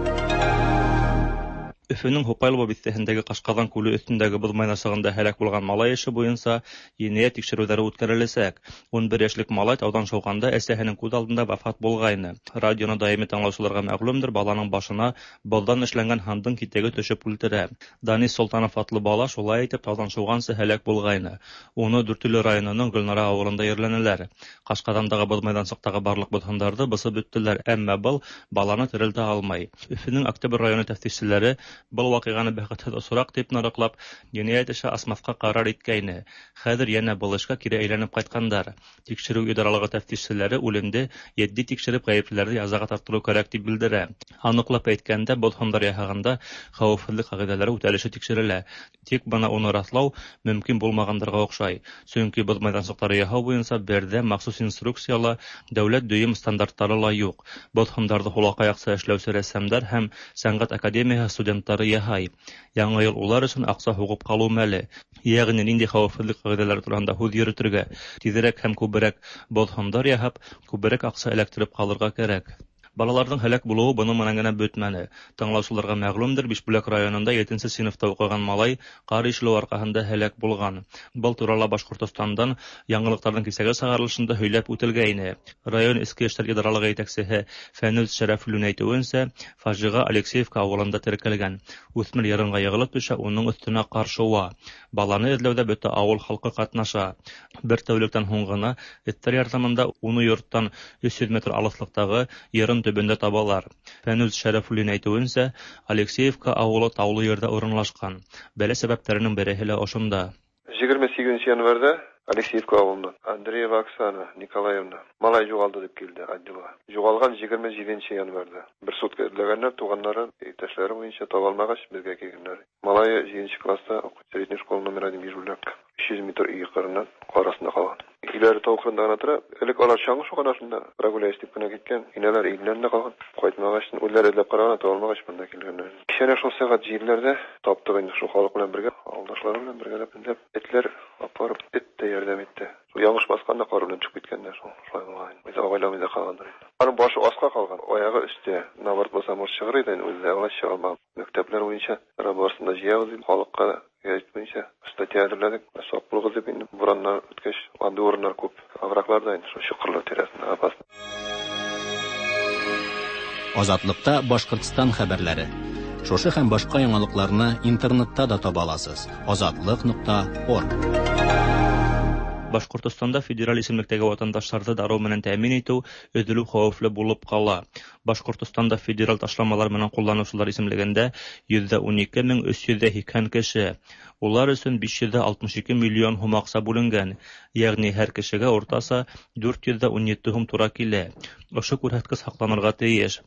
Өфөнөң Һуҡайлово биҫтәһендәге Ҡашҡаҙан күле өҫтөндәге боҙ майҙансығында һәләк булған малай эше буйынса енәйәт тикшереүҙәре үткәреләсәк. Ун бер йәшлек малай тауҙан шыуғанда әсәһенең күҙ алдында вафат булғайны. Радионы даими тыңлаусыларға мәғлүмдер, баланың башына боҙҙан эшләнгән һандың китәге төшөп үлтерә. Данис Солтанов атлы бала шулай итеп тауҙан шыуғансы һәләк булғайны. Уны Дүртөйлө районының Гөлнара ауылында ерләнеләр. Ҡашҡаҙандағы боҙ майҙансыҡтағы барлыҡ боҙ һындарҙы бысып бөттөләр, әммә был баланы терелтә алмай. Өфөнөң Октябрь районы тәфтишселәре был ваҡиғаны бәхетһеҙ осраҡ тип нараҡлап, енәйәт эше асмаҫҡа ҡарар иткәйне. Хәҙер йәнә был эшкә кире әйләнеп ҡайтҡандар. Тикшереү идаралығы тәфтишселәре үлемде етди тикшереп ғәйеплеләрҙе язаға тартырыу кәрәк тип белдерә. Аныҡлап әйткәндә, был һындар яһағанда хәүефһеҙлек ҡағиҙәләре үтәлеше тикшерелә. Тик бына уны раҫлау мөмкин булмағандарға оҡшай. Сөнки боҙ майҙансыҡтары яһау буйынса берҙә махсус инструкцияла, дәүләт дөйөм стандарттары ла юҡ. Боҙ һындарҙы һулаҡаяҡса эшләүсе рәссамдар һәм сәнғәт академияһы студенттары яһай. Яңы йыл улар өсөн аҡса һуғып ҡалыу мәле. Йәғни ниндәй хәүефһеҙлек ҡағиҙәләре тураһында һүҙ йөрөтөргә, тиҙерәк һәм күберәк боҙ һындар яһап, күберәк аҡса эләктереп ҡалырға кәрәк. Балаларҙың һәләк булыуы бының менән генә бөтмәне. Тыңлаусыларға мәғлүмдер, Бишбүләк районында етенсе синыфта уҡыған малай ҡар ишелеү арҡаһында һәләк булған. Был турала Башҡортостандан яңылыҡтарҙың кисәге сығарылышында һөйләп үтелгәйне. Район Эске эштәр идаралығы етәксеһе Фәнүз Шәрәфуллин әйтеүенсә, фажиға Алексеевка ауылында теркәлгән. Үҫмер ярынға йығылып төшә, уның өҫтөнә ҡар шыуа. Баланы эҙләүҙә бөтә ауыл халҡы ҡатнаша. Бер тәүлектән һуң ғына эттәр ярҙамында уны йорттан өс йөҙ метр алыҫлыҡтағы йырын төбөндә табалар. Фәнүз Шәрәфуллин әйтеүенсә, Алексеевка ауылы таулы ерҙә урынлашҡан. Бәлә сәбәптәренең береһе лә ошонда. Егерме һигеҙенсе январҙа Алексеевка ауылынан Андреева Оксана Николаевна малай юғалды тип килде отделға. Юғалған егерме етенсе январҙа. Бер сутка эҙләгәндәр, туғандары, иптәшләре буйынса таба алмағас, беҙгә килгәндәр. Малайы етенсе класста уҡый, средний школа номер один Бишбүләк. Өс йөҙ метр өй ҡырынан ҡар аҫтында ҡалған. Өйләре тау ҡырында ғына тора. Элек алар чаңғы шуған шунда прогуляюсь тип кенә киткән. Инәләр өйләрендә ҡалған. Ҡайтмағас, үҙләре эҙләп ҡараған, таба алмағас, бында килгәндәр. Кисәнә шул сәғәт елеләрҙә таптыҡ инде шул халыҡ менән бергә, ауылдашлары менән бергәләп эҙләп, этләр апарып, эт тә ярҙам итте. Шул яңыш баҫҡанда ҡар белән төшөп киткәндәр, шул шулай булған. Үҙе абайламай ҙа ҡалғандар инде. Аның башы аҫҡа ҡалған, аяғы өҫтә. Наоборот булса, может сығыр ине, үҙе лә улай сыға алмаған. Мәктәпләр буйынса барысын да йыябыҙ, халыҡҡа гәзит буйынса статья әҙерләнек. Саҡ булығыҙ тип инде бураннар үткәс, андый урыннар күп. Овраглар да инде шул чоҡорлар тирәһендә опасно. Азатлыкта Башҡортостан хәбәрләре. Шушы һәм башҡа яңалыҡларны интернетта да таба аласыз. Азатлык нуҡта орг. Башҡортостанда федераль исемлектәге ватандаштарҙы дарыу менән тәьмин итеү өҙөлөү хәүефле булып ҡала. Башҡортостанда федераль ташламалар менән ҡулланыусылар исемлегендә йөҙ ун ике мең өс йөҙ һикһән кеше. Улар өсөн биш йөҙ алтмыш ике миллион һум аҡса бүленгән. Йәғни һәр кешегә уртаса дүрт йөҙ ун ете һум тура килә. Ошо күрһәткес һаҡланырға тейеш.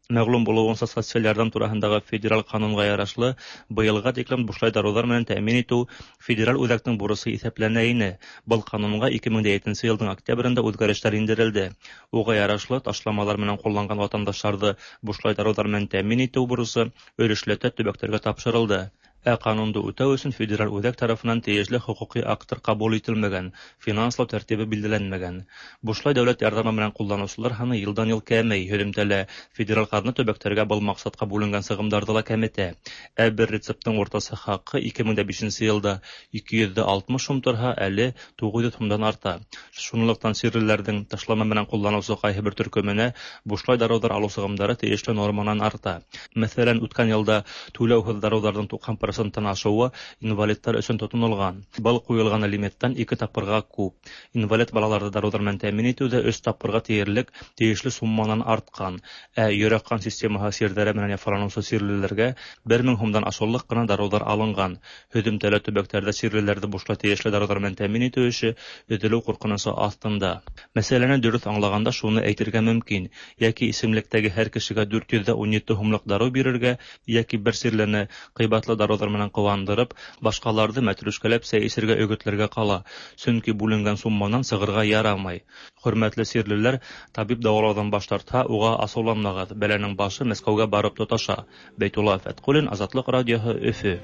Мәгълүм булуынса, социаль ярдәм тураһындагы федераль канунга ярашлы, быелга тиклем бушлай дарулар менән тәэмин итү федераль үҙәктең бурысы иҫәпләнә ине. Был канунга ике мең етенсе йылдың октябрендә үҙгәрештәр индерелде. Уға ярашлы, ташламалар менән ҡулланған ватандаштарҙы бушлай дарыуҙар менән тәэмин итеү бурысы өлөшләтә төбәктәргә тапшырылды. Ә канунды үтәү өсөн федераль үҙәк тарафынан тейешле хоҡуҡи акттар ҡабул ителмәгән, финанслау тәртибе билдәләнмәгән. Бушлай дәүләт ярҙамы менән ҡулланыусылар һаны йылдан йыл кәмей, һөҙөмтәлә федераль ҡаҙна төбәктәргә был маҡсатҡа бүленгән сығымдарҙы ла кәметә. Ә бер рецепттың уртаса хаҡы ике мең бишенсе йылда ике йөҙ алтмыш һум торһа, әле туғыҙ йөҙ һумдан арта. Шунлыҡтан сирлеләрҙең ташлама менән ҡулланыусы ҡайһы бер төркөмөнә бушлай дарыуҙар алыу сығымдары тейешле норманан арта. Мәҫәлән, үткән йылда түләүһеҙ дарыуҙарҙың туҡһан проценттан ашыуы инвалидтар өсөн тотонолған. Был ҡуйылған лимиттан ике тапҡырға күп. Инвалид балаларҙы дарыуҙар менән тәьмин итеү ҙә өс тапҡырға тиерлек тейешле сумманан артҡан. Ә йөрәк-ҡан системаһы сирҙәре менән яфаланыусы сирлеләргә бер мең һумдан ашыулыҡ ҡына дарыуҙар алынған. Һөҙөмтәлә төбәктәрҙә сирлеләрҙе бушлай тейешле дарыуҙар менән тәьмин итеү эше өҙөлөү ҡурҡынысы аҫтында. Мәсьәләне дөрөҫ аңлағанда шуны әйтергә мөмкин: йәки исемлектәге һәр кешегә дүрт йөҙ ун ете һумлыҡ дарыу бирергә, йәки бер сирлене ҡыйбатлы дарыуҙар менән ҡыуандырып, башҡаларҙы мәтрүшкәләп сәй эсергә өгөтләргә ҡала, сөнки бүленгән сумманан сығырға ярамай. Хөрмәтле сирлеләр, табип дауалауҙан баш тартһа, уға асыуланмағыҙ, бәләнең башы Мәскәүгә барып тоташа. Бәйтулла Фәтҡуллин, Азатлыҡ радиоһы, Өфө.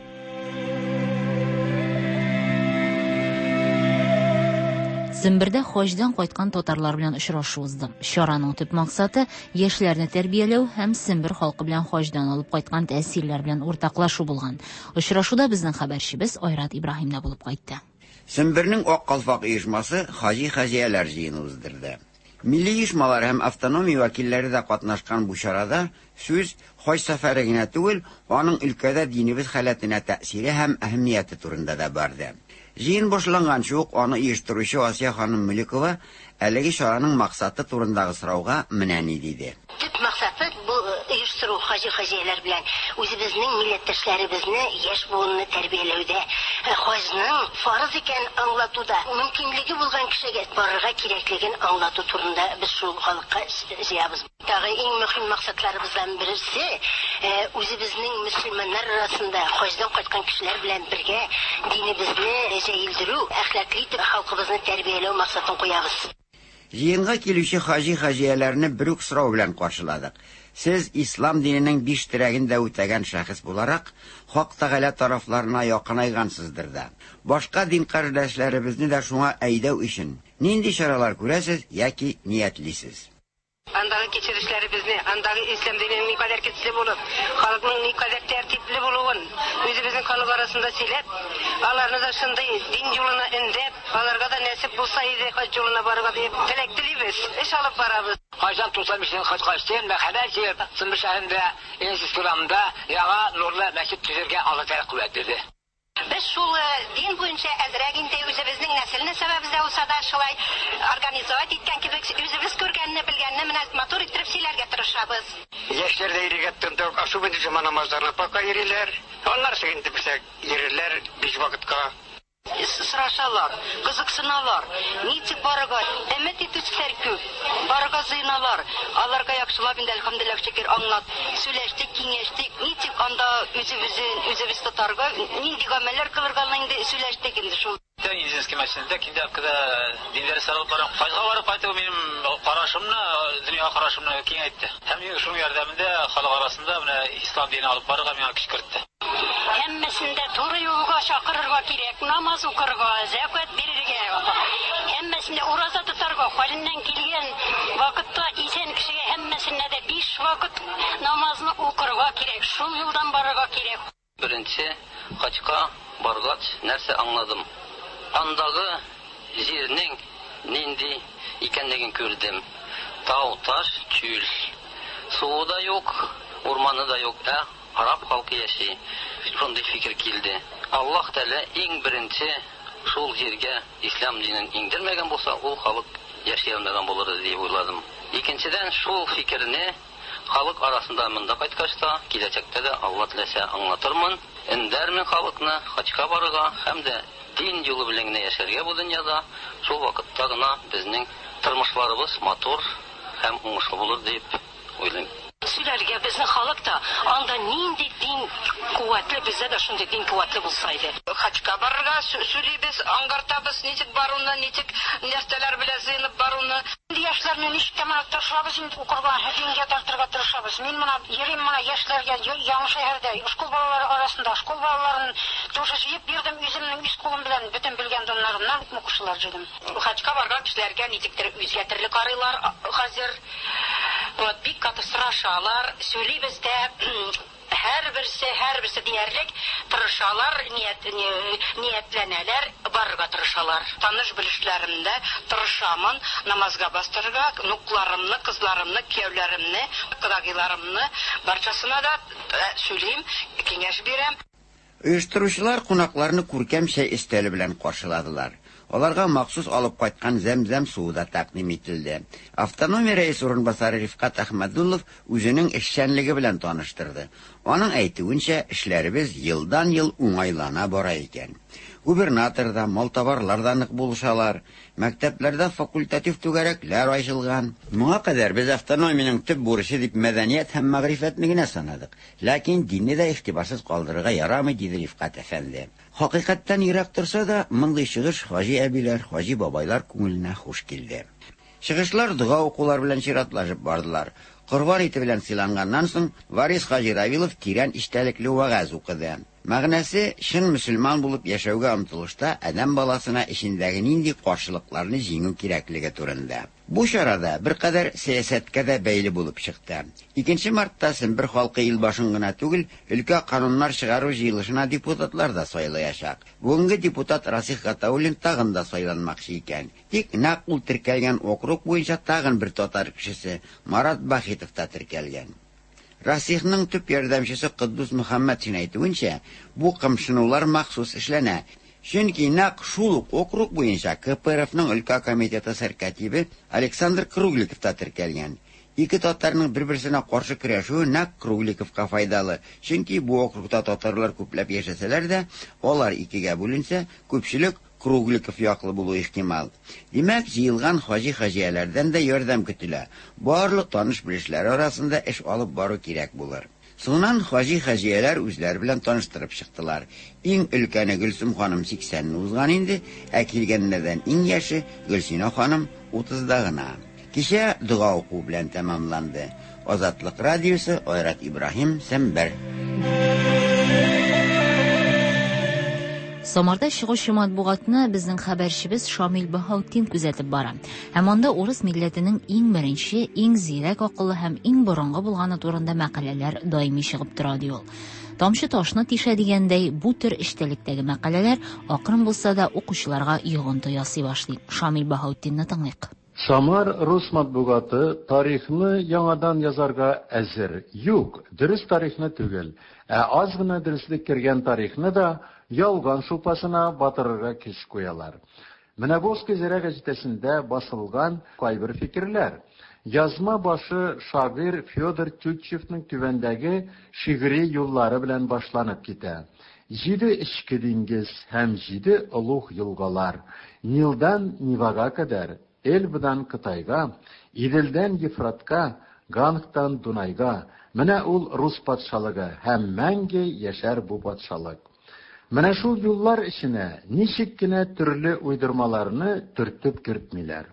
Сембердә хаҗдан кайткан татарлар белән очрашу узды. Чараның төп максаты яшьләрне тәрбияләү һәм Сембер халкы белән хаҗдан алып кайткан тәэсирләр белән уртаклашу булган. Очрашуда безнең хәбәрчебез Айрат Ибраһим да булып кайтты. Сембернең Ак калфак оешмасы хаҗи-хаҗияләр җыены уздырды. Милли оешмалар һәм автономия вәкилләре дә катнашкан бу чарада сүз хаҗ сәфәре генә түгел, аның өлкәдә динебез халәтенә тәэсире һәм әһәмияте турында да барды. Җыен башланганчы ук аны оештыручы Асия ханым Мөликова әлеге чараның максаты турындагы сорауга менә ни диде. Төп максаты бу оештыру хаҗи-хаҗияләр белән үзебезнең милләттәшләребезне, яшь буынны тәрбияләүдә, хаҗның фарыз икәнен аңлатуда, мөмкинлеге булган кешегә барырга кирәклеген аңлату турында без шул халыкка җыябыз. Тагы иң мөһим максатларыбыздан берсе үзебезнең мөселманнар арасында хаҗдан кайткан кешеләр белән бергә динебезне җәелдерү, әхлаклы итеп халкыбызны тәрбияләү максатын куябыз. Җыенга килүче хаҗи-хаҗияләрне бер үк сорау белән каршыладык. Сез ислам диненең биш терәген дә үтәгән шәхес буларак, Хак Тәгалә тарафларына якынайгансыздыр да. Башка дин кардәшләребезне дә шуңа әйдәү өчен нинди чаралар күрәсез яки ниятлисез? Андагы кичерешләребезне, андагы ислам диненең никадәр көчле булып, халыкның никадәр тәртипле булуын үзебезнең халык арасында сөйләп, аларны да шундый дин юлына өндәп, аларга да нәсип булса иде хаҗ юлына барырга дип теләк телибез, эш алып барабыз. Хаҗдан туксан бишенче хаҗга эштем, мәхәббәт җыеп, Сембер шәһәрендә, Инсис урамында яңа нурлы мәчет төзергә Алла Тәгалә куәт бирде. Без шул дин буенча әзрәк инде үзебезнең нәселне сәбәбездә булса да шулай организовать иткән кебек үзебез күргәнне, белгәнне менә матур иттереп сөйләргә тырышабыз. Яшьләр дә йөрергә тотындык, особенно җомга намазларына пока йөриләр. Аннары соң инде безгә йөрерләр биш вакытка. Сорашалар, кызыксыналар, ничек барырга, өмет итүчеләр күп, барырга җыеналар. Аларга яхшылап инде әлхәмдүлилләһ шөкер аңлат, сөйләштек, киңәштек, ничек анда үзебезне үзебез тотарга, нинди гамәлләр кылырга инде сөйләштек инде шул. Медицинский мәчетендә киндә дин дәресләре алып барам. Хаҗга барып кайту минем карашымны, дөньяга карашымны киңәйтте. Һәм шуның ярдәмендә халык арасында менә ислам динен алып барырга миңа көч кертте. Һәммәсен дә туры юлга чакырырга кирәк, намаз укырга, зәкят бирергә, һәммәсен дә ураза тотарга, хәленнән килгән вакытта исән кешегә һәммәсенә дә биш вакыт намазны укырга кирәк, шул юлдан барырга кирәк. Беренче хаҗга баргач нәрсә аңладым? Андагы җирнең нинди икәнлеген күрдем. Тау, таш, чүл. Суы да юк, урманы да юк, ә араб халкы яши. Шундый фикер килде. Аллаһ Тәгалә иң беренче шул җиргә ислам динен иңдермәгән булса, ул халык яши алмаган булыр иде дип уйладым. Икенчедән, шул фикерне халык арасында монда кайткач та, киләчәктә дә Алла теләсә аңлатырмын, өндәрмен халыкны хаҗга барырга һәм дә дин юлы белән генә яшәргә бу дөньяда. Шул вакытта гына безнең тормышларыбыз матур һәм уңышлы булыр дип уйлыйм. Сөйләп Сөйләргә безнең халык та анда нинди дин куәтле, бездә дә шундый дин куәтле булса иде. Хаҗга барырга сөйлибез, аңгартабыз, ничек баруны, ничек нәрсәләр белән җыенып баруны. Инде яшьләрне ничек тә менә тырышабыз инде укырга, дингә тартырга тырышабыз. Мин менә йөрим менә яшьләргә яңа шәһәрдә, школ балалары арасында, школ балаларын тоже җыеп бирдем үземнең үз кулым белән, бөтен белгән доннарымнан укучылар җыйдым. Хаҗга барган кешеләргә ничектер үзгә төрле карыйлар хәзер. Вот бик каты сорашалар, сөйлибез дә, һәрберсе, һәрберсе диярлек тырышалар, ният, ниятләнәләр, барырга тырышалар. Таныш белешләремдә тырышамын намазга бастырырга, внукларымны, кызларымны, кияүләремне, кодагыйларымны барчасына да сөйлим, киңәш бирәм. Оештыручылар кунакларны күркәм чәй өстәле белән каршыладылар. Аларга махсус алып кайткан зәм-зәм суы да тәкъдим ителде. Автономия рәис урынбасары Рифкат Әхмәдуллов үзенең эшчәнлеге белән таныштырды. Аның әйтүенчә, эшләребез елдан-ел уңайлана бара икән. Губернатор да, малтабарлар да нык булышалар. Мәктәпләрдә факультатив түгәрәкләр ачылган. Моңа кадәр без автономиянең төп бурычы дип мәдәният һәм мәгърифәтне генә санадык. Ләкин динне дә игътибарсыз калдырырга ярамый, диде Рифкат әфәнде. Хакыйкатьтән ерак торса да, мондый чыгыш хаҗи әбиләр, хаҗи бабайлар күңеленә хуш килде. Чыгышлар дога укулар белән чиратлашып бардылар. Корбан ите белән сыйланганнан соң Варис хаҗи Равилов тирән эчтәлекле вәгазь укыды. Мәгънәсе чын мөселман булып яшәүгә омтылышта адәм баласына эчендәге нинди каршылыкларны җиңү кирәклеге турында. Бу чарада беркадәр сәясәткә дә бәйле булып чыкты. Икенче мартта Сембер халкы ил башын гына түгел, өлкә кануннар чыгару җыелышына депутатлар да сайлаячак. Бүгенге депутат Расих Гатауллин тагын да сайланмакчы икән. Тик нәкъ ул теркәлгән округ буенча тагын бер татар кешесе Марат Бахитов та теркәлгән. Расихның төп ярдәмчесе Кыддус Мөхәммәтшин әйтүенчә, бу кымшынулар махсус эшләнә. Чөнки нәкъ шул ук округ буенча К П Р Фның өлкә комитеты сәркатибе Александр Кругликов та теркәлгән. Ике татарның бер-берсенә каршы көрәшүе нәкъ Кругликовка файдалы. Чөнки бу округта татарлар күпләп яшәсәләр дә, алар икегә бүленсә, күпчелек Кругликов яклы булу ихтимал. Димәк, җыелган хаҗи-хаҗияләрдән дә ярдәм көтелә. Барлык таныш белешләр арасында эш алып бару кирәк булыр. Соңыннан хаҗи-хаҗияләр үзләре белән таныштырып чыктылар. Иң өлкәне Гөлсем ханым сиксәнне узган инде, ә килгәннәрдән иң яше Гөлсинә ханым утызда гына. Кичә дога уку белән тәмамланды. Азатлык радиосы, Айрат Ибраһим, Сембер. Самарда чыгучы матбугатны безнең хәбәрчебез Шамил Баһаутдин күзәтеп бара. Һәм анда урыс милләтенең иң беренче, иң зирәк акыллы һәм иң борынгы булганы турында мәкаләләр даими чыгып тора, ди ул. Тамчы ташны тишә дигәндәй, бу төр эчтәлектәге мәкаләләр акрын булса да укучыларга йогынты ясый башлый. Шамил Баһаутдинны тыңлыйк. Самар рус матбугаты тарихны яңадан язарга әзер. Юк, дөрес тарихны түгел, ә аз гына дөреслек кергән тарихны да ялган шулпасына батырырга көч куялар. Менә Волжская заря газетасында басылган кайбер фикерләр. Язма башы шагыйрь Федор Тютчевның түбәндәге шигъри юллары белән башланып китә. Җиде эчке диңгез һәм җиде олуг елгалар, Нилдан Невага кадәр, Эльбадан Кытайга, Иделдән Ефратка, Гангтан Дунайга. Менә ул рус патшалыгы һәм мәңге яшәр бу патшалык. Менә шул юллар эченә ничек кенә төрле уйдырмаларны төртеп кертмиләр.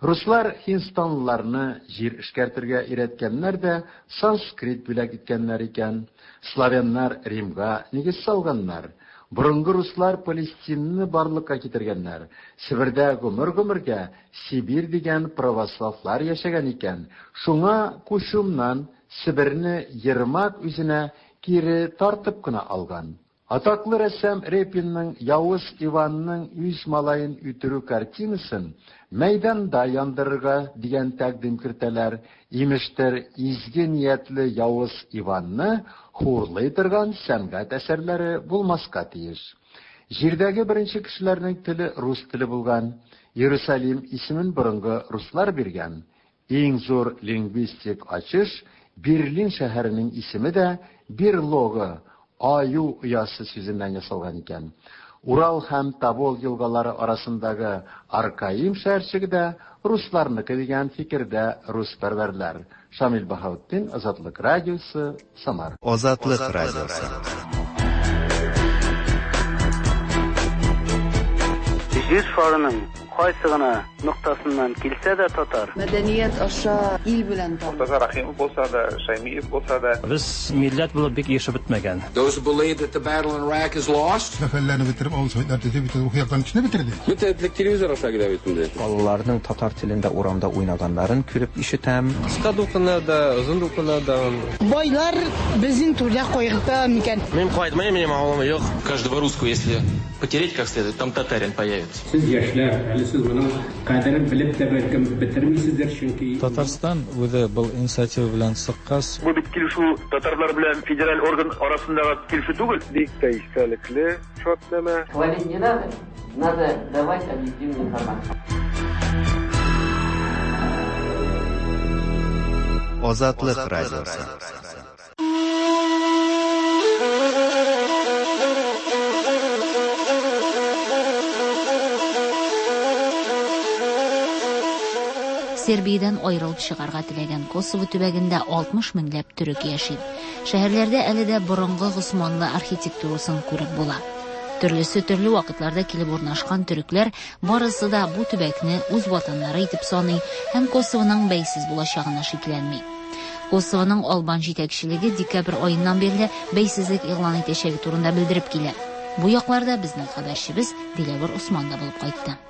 Руслар һиндстанлыларны җир эшкәртергә өйрәткәннәр дә санскрит бүләк иткәннәр икән. Славяннар Римга нигез салганнар. Борынгы руслар Палестинны барлыкка китергәннәр. Себердә гомер-гомергә Сибирь дигән православлар яшәгән икән. Шуңа Кушумнан Себерне Ермак үзенә кире тартып кына алган. Атаклы рәссам Репинның Явыз Иванның үз малаен үтерү картинасын мәйданда яндырырга дигән тәкъдим кертәләр. Имештер, изге ниятле Явыз Иванны хурлый торган сәнгать әсәрләре булмаска тиеш. Җирдәге беренче кешеләрнең теле рус теле булган. Иерусалим исемен борынгы руслар биргән. Иң зур лингвистик ачыш Берлин шәһәренең исеме дә Берлогы, аю оясы сүзеннән ясалган икән. Урал һәм Тобол елгалары арасындагы Аркаим шәһәрчеге дә русларныкы дигән фикердә руспәрвәрләр. Шамил Баһаутдин, Азатлык радиосы, Самар. Азатлык радиосы. Җир шарының кайсы гына ноктасыннан килсә дә татар. Мәдәният аша ил белән таныш. Мортаза Рахимов булса да, Шаймиев булса да. Без милләт булып бик яшәп бетмәгән. Those who believe that the battle in Iraq is lost. Сәфәрләрне бетереп, авыл советлар төзеп, бөтен рухи яктан кешене бетерде. Бөтен телевизор аша килә бит инде. Балаларның татар телендә урамда уйнаганнарын күреп ишетәм. Кыска дулкыннарда, озын дулкыннарда. Байлар безнең түрдә кайгырта микән? Мин кайтмыйм, минем авылым юк. Каждого русского, если потереть как следует, там татарин появится. Сез яшьләр, әле сез моның кадерен белеп тә бәлкем бетермисездер, чөнки Татарстан үзе был инициатива белән чыккач. Бу бит килешү татарлар белән федераль орган арасындагы килешү түгел. Бик тә истәлекле шартнамә. Хвалить не надо, надо давать объективную информацию. Азатлык радиосы. Сербиядән аерылып чыгарга теләгән Косово төбәгендә алтмыш меңләп төрек яши. Шәһәрләрдә әле дә борынгы госманлы архитектурасын күреп була. Төрлесе төрле вакытларда килеп урнашкан төрекләр барысы да бу төбәкне үз ватаннары итеп саный һәм Косовоның бәйсез булачагына шикләнми. Косовоның албан җитәкчелеге декабрь аеннан бирле бәйсезлек игълан итәчәге турында белдереп килә. Бу якларда безнең хәбәрчебез Диләвер Усман да булып кайтты.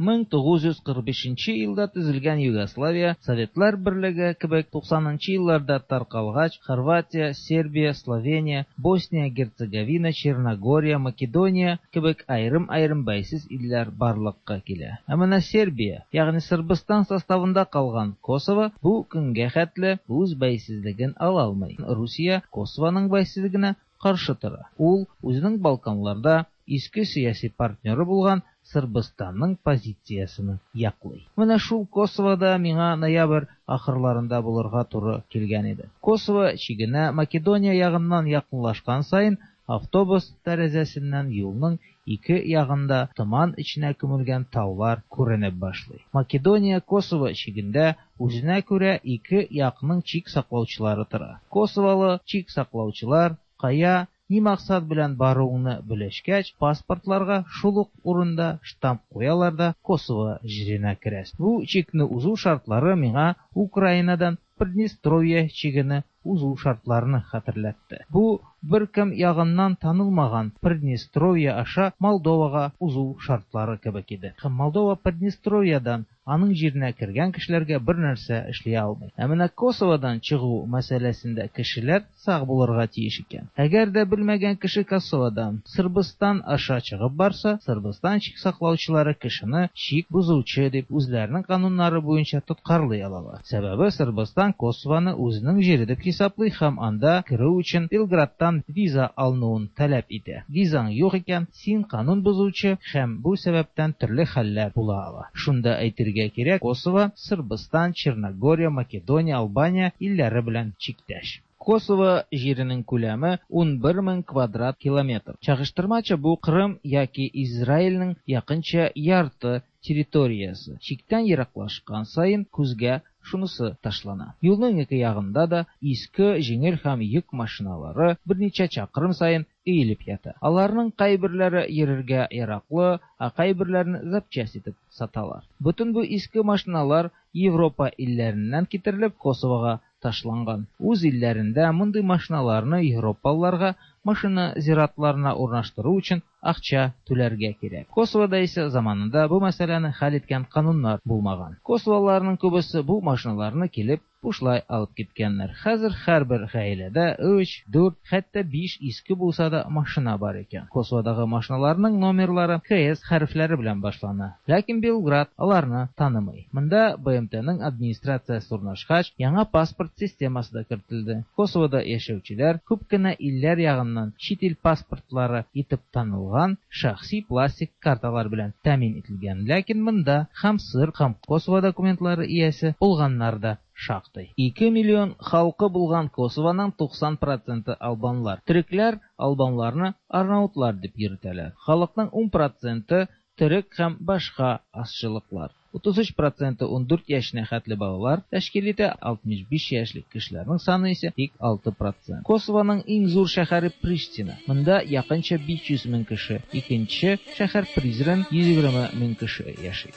мең тугыз йөз кырык бишенче елда төзелгән Югославия, Советлар Берлеге кебек туксанынчы елларда таркалгач, Хорватия, Сербия, Словения, Босния, Герцеговина, Черногория, Македония кебек аерым-аерым бәйсез илләр барлыкка килә. Ә менә Сербия, ягъни Сырбыстан составында калган Косово бу көнгә хәтле үз бәйсезлеген ала алмый. Русия Косованың бәйсезлегенә каршы тора. Ул үзенең Балканларда иске сәяси партнеры булган Сырбыстанның позициясен яклый. Менә шул Косовода миңа ноябрь ахырларында булырга туры килгән иде. Косово чигенә Македония ягыннан якынлашкан саен автобус тәрәзәсеннән юлның ике ягында томан эченә күмелгән таулар күренеп башлый. Македония Косово чигендә үзенә күрә ике якның чик саклаучылары тора. Косоволы чик саклаучылар кая ни максат белән баруыңны белешкәч, паспортларга шул ук урында штамп куялар да Косово җиренә керәсең. Бу чикне узу шартлары миңа Украинадан Приднестровье чигене узу шартларын хәтерләтте. Бу беркем ягыннан танылмаган Приднестровье аша Молдовага узу шартлары кебек иде. Һәм Молдова Приднестровьядан аның җиренә кергән кешеләргә бер нәрсә эшли алмый. Ә менә Косоводан чыгу мәсьәләсендә кешеләр сак булырга тиеш икән. Әгәр дә белмәгән кеше Косоводан Сырбыстан аша чыгып барса, Сырбыстан чик саклаучылары кешене чик бозучы дип үзләренең кануннары буенча тоткарлый алалар. Сәбәбе Сырбыстан Косовоны үзенең җире дип хисаплый һәм анда керү өчен Белградтан виза алынуын таләп итә. Визаң юк икән, син канун бозучы һәм бу сәбәптән төрле хәлләр була ала. Шунда әйтергә кирәк, Косово, Сырбыстан, Черногория, Македония, Албания илләре белән чиктәш. Косово җиренең күләме ун бер мең квадрат километр. Чагыштырмача бу Кырым яки Израильнең якынча ярты территориясе. Чиктән ераклашкан саен күзгә шунысы ташлана. Юлның ике ягында да иске җиңел һәм йөк машиналары берничә чакрым саен өелеп ята. Аларның кайберләре йөрергә яраклы, ә кайберләрен запчасть итеп саталар. Бөтен бу иске машиналар Европа илләреннән китерелеп Косовога ташланган. Үз илләрендә мондый машиналарны европалыларга машина зиратларына урнаштыру өчен акча түләргә кирәк. Косовода исә заманында бу мәсьәләне хәл иткән кануннар булмаган. Косоволыларның күбесе бу машиналарны килеп бушлай алып киткәннәр. Хәзер һәрбер гаиләдә өч, дүрт, хәтта биш иске булса да машина бар икән. Косоводагы машиналарның номерлары К С хәрефләре белән башлана. Ләкин Белград аларны танымый. Монда Б М Т-ның администрациясе урнашкач, яңа паспорт системасы да кертелде. Косовода яшәүчеләр күп кенә илләр ягыннан чит ил паспортлары итеп танылган шәхси пластик карталар белән тәэмин ителгән. Ләкин монда һәм сыр, һәм Косово документлары иясе булганнар да шактый. Ике миллион халкы булган Косованың туксан проценты албанлар. Төрекләр албанларны арнаутлар дип йөртәләр. Халыкның ун проценты төрек һәм башка азчылыклар. Утыз өч проценты ундүрт яшенә хәтле балалар тәшкил итә, алтмыш биш яшьлек кешеләрнең саны исә тик алты процент. Косованың иң зур шәһәре Приштина. Монда якынча биш йөз мең кеше. Икенче шәһәр Призрен йөз егерме мең кеше яши.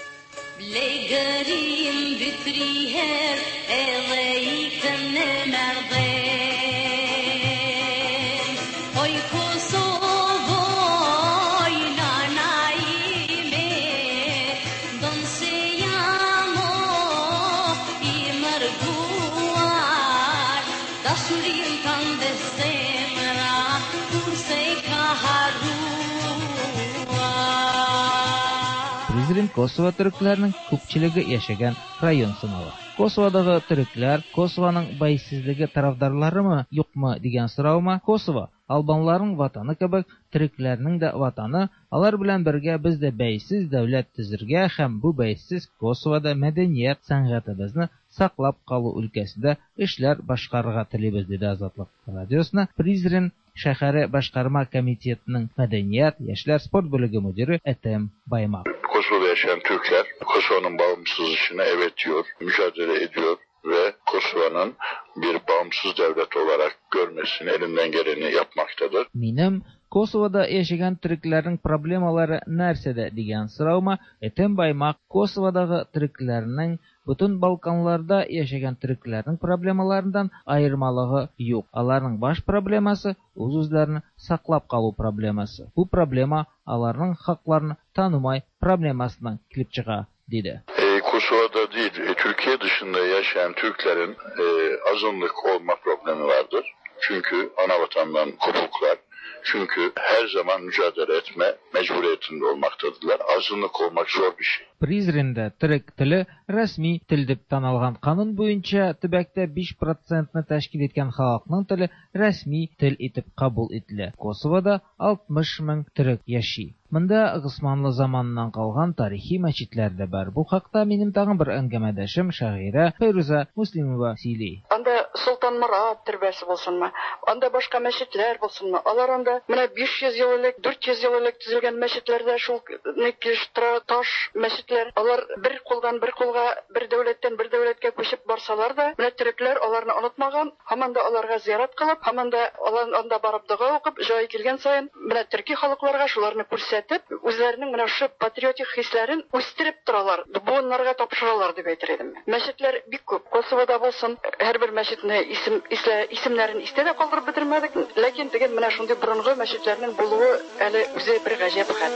Призрен Косово төрекләренең күпчелеге яшәгән район санала. Косоводагы төрекләр Косованың бәйсезлеге тарафдарларымы, юкмы дигән сораума, Косово албанларның ватаны кебек төрекләрнең дә ватаны, алар белән бергә без дә бәйсез дәүләт төзергә һәм бу бәйсез Косовода мәдәният, сәнгатебезне саклап калу өлкәсендә эшләр башкарырга телибез, диде Азатлык радиосына Призрен шәһәре башкарма комитетының мәдәният, яшьләр, спорт бүлеге мөдире Этем Баймак. Kosova'da yaşayan Türkler Kosova'nın bağımsızlığına evet diyor, mücadele ediyor ve Kosova'nın bir bağımsız devlet olarak görmesini elinden geleni yapmaktadır. Минем Косовода яшәгән төрекләрнең проблемалары нәрсәдә дигән сораума Этем Баймак Косоводагы төрекләрнең бөтен Балканларда яшәгән төрекләрнең проблемаларыннан аермалыгы юк. Аларның баш проблемасы үз-үзләрен саклап калу проблемасы. Бу проблема аларның хакларын танымай проблемасыннан килеп чыга, диде. E, Kosova'da değil, e, Türkiye dışında yaşayan Türklerin e, azınlık olma problemi vardır. Çünkü ana vatandan kopuklar. Çünkü her zaman mücadele etme mecburiyetinde olmaktadırlar. Azınlık olmak zor bir şey. Призренде төрек теле рәсми тел дип танылган канун буенча төбәктә биш процентны тәшкил иткән халыкның теле рәсми тел итеп кабул ителә. Косовода алтмыш мең төрек яши. Монда Госманлы заманыннан калган тарихи мәчетләр дә бар. Бу хакта минем тагын бер әңгәмәдәшем шагыйрә Фәйрүзә Муслимова сөйли. Анда Солтан Морат төрбәсе булсынмы, анда башка мәчетләр булсынмы? Алар анда менә биш йөз ел элек, дүрт йөз ел элек төзелгән мәчетләрдә шул килеш тора, таш мәчетләр. Алар бер кулдан бер кулга, бер дәүләттән бер дәүләткә күчеп барсалар да, менә төрекләр аларны онытмаган, һаман да аларга зиярат кылып, һаман да алар анда барып дога укып, җае килгән саен менә төрки халыкларга шуларны күрсәтеп, үзләренең менә шушы патриотик хисләрен үстереп торалар, буыннарга тапшыралар дип әйтер идем. Мәчетләр бик күп. Косовода булсын, һәрбер мәчетне исем, ислә, исемнәрен истә дә калдырып бетермәдек, ләкин дигән менә шундый борынгы мәчетләрнең булуы әле үзе бер гаҗәп хәл.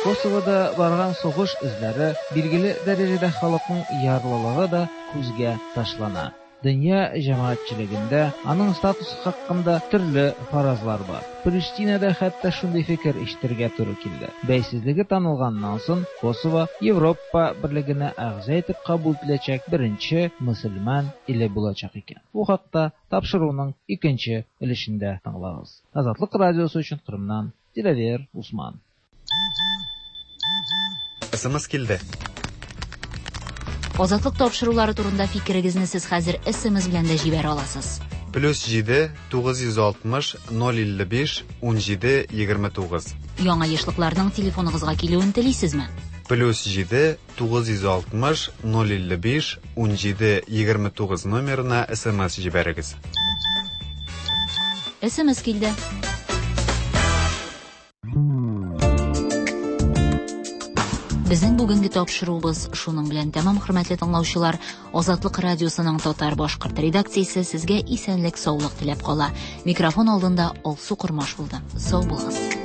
Косовода барган сугыш эзләре билгеле дәрәҗәдә халыкның ярлылыгы да күзгә ташлана. Дөнья җәмәгатьчелегендә аның статусы хакында төрле фаразлар бар. Приштинада хәтта шундый фикер ишетергә туры килде. Бәйсезлеге танылганнан соң Косово Европа берлегенә әгъза итеп кабул ителәчәк беренче мөселман иле булачак икән. Бу хакта тапшыруның икенче өлешендә тыңлагыз. Азатлык радиосы өчен Кырымнан Диләвер Усман. Эс эм эс килде. Азатлык тапшырулары турында фикерегезне сез хәзер эс эм эс белән дә җибәрә аласыз. Плюс җиде, тугыз йөз алтмыш, ноль илле биш, ун җиде, егерме тугыз. Яңа ешлыкларның телефоныгызга килүен телисезме? Плюс җиде, тугыз йөз алтмыш, ноль илле биш, ун җиде, егерме тугыз номерына эс эм эс җибәрегез. эс эм эс килде. Безнең бүгенге тапшыруыбыз шуның белән тәмам, хөрмәтле тыңлаучылар. Азатлык радиосының татар башкорт редакциясе сезгә исәнлек, саулык теләп кала. Микрофон алдында Алсу Кормаш булды. Сау булыгыз.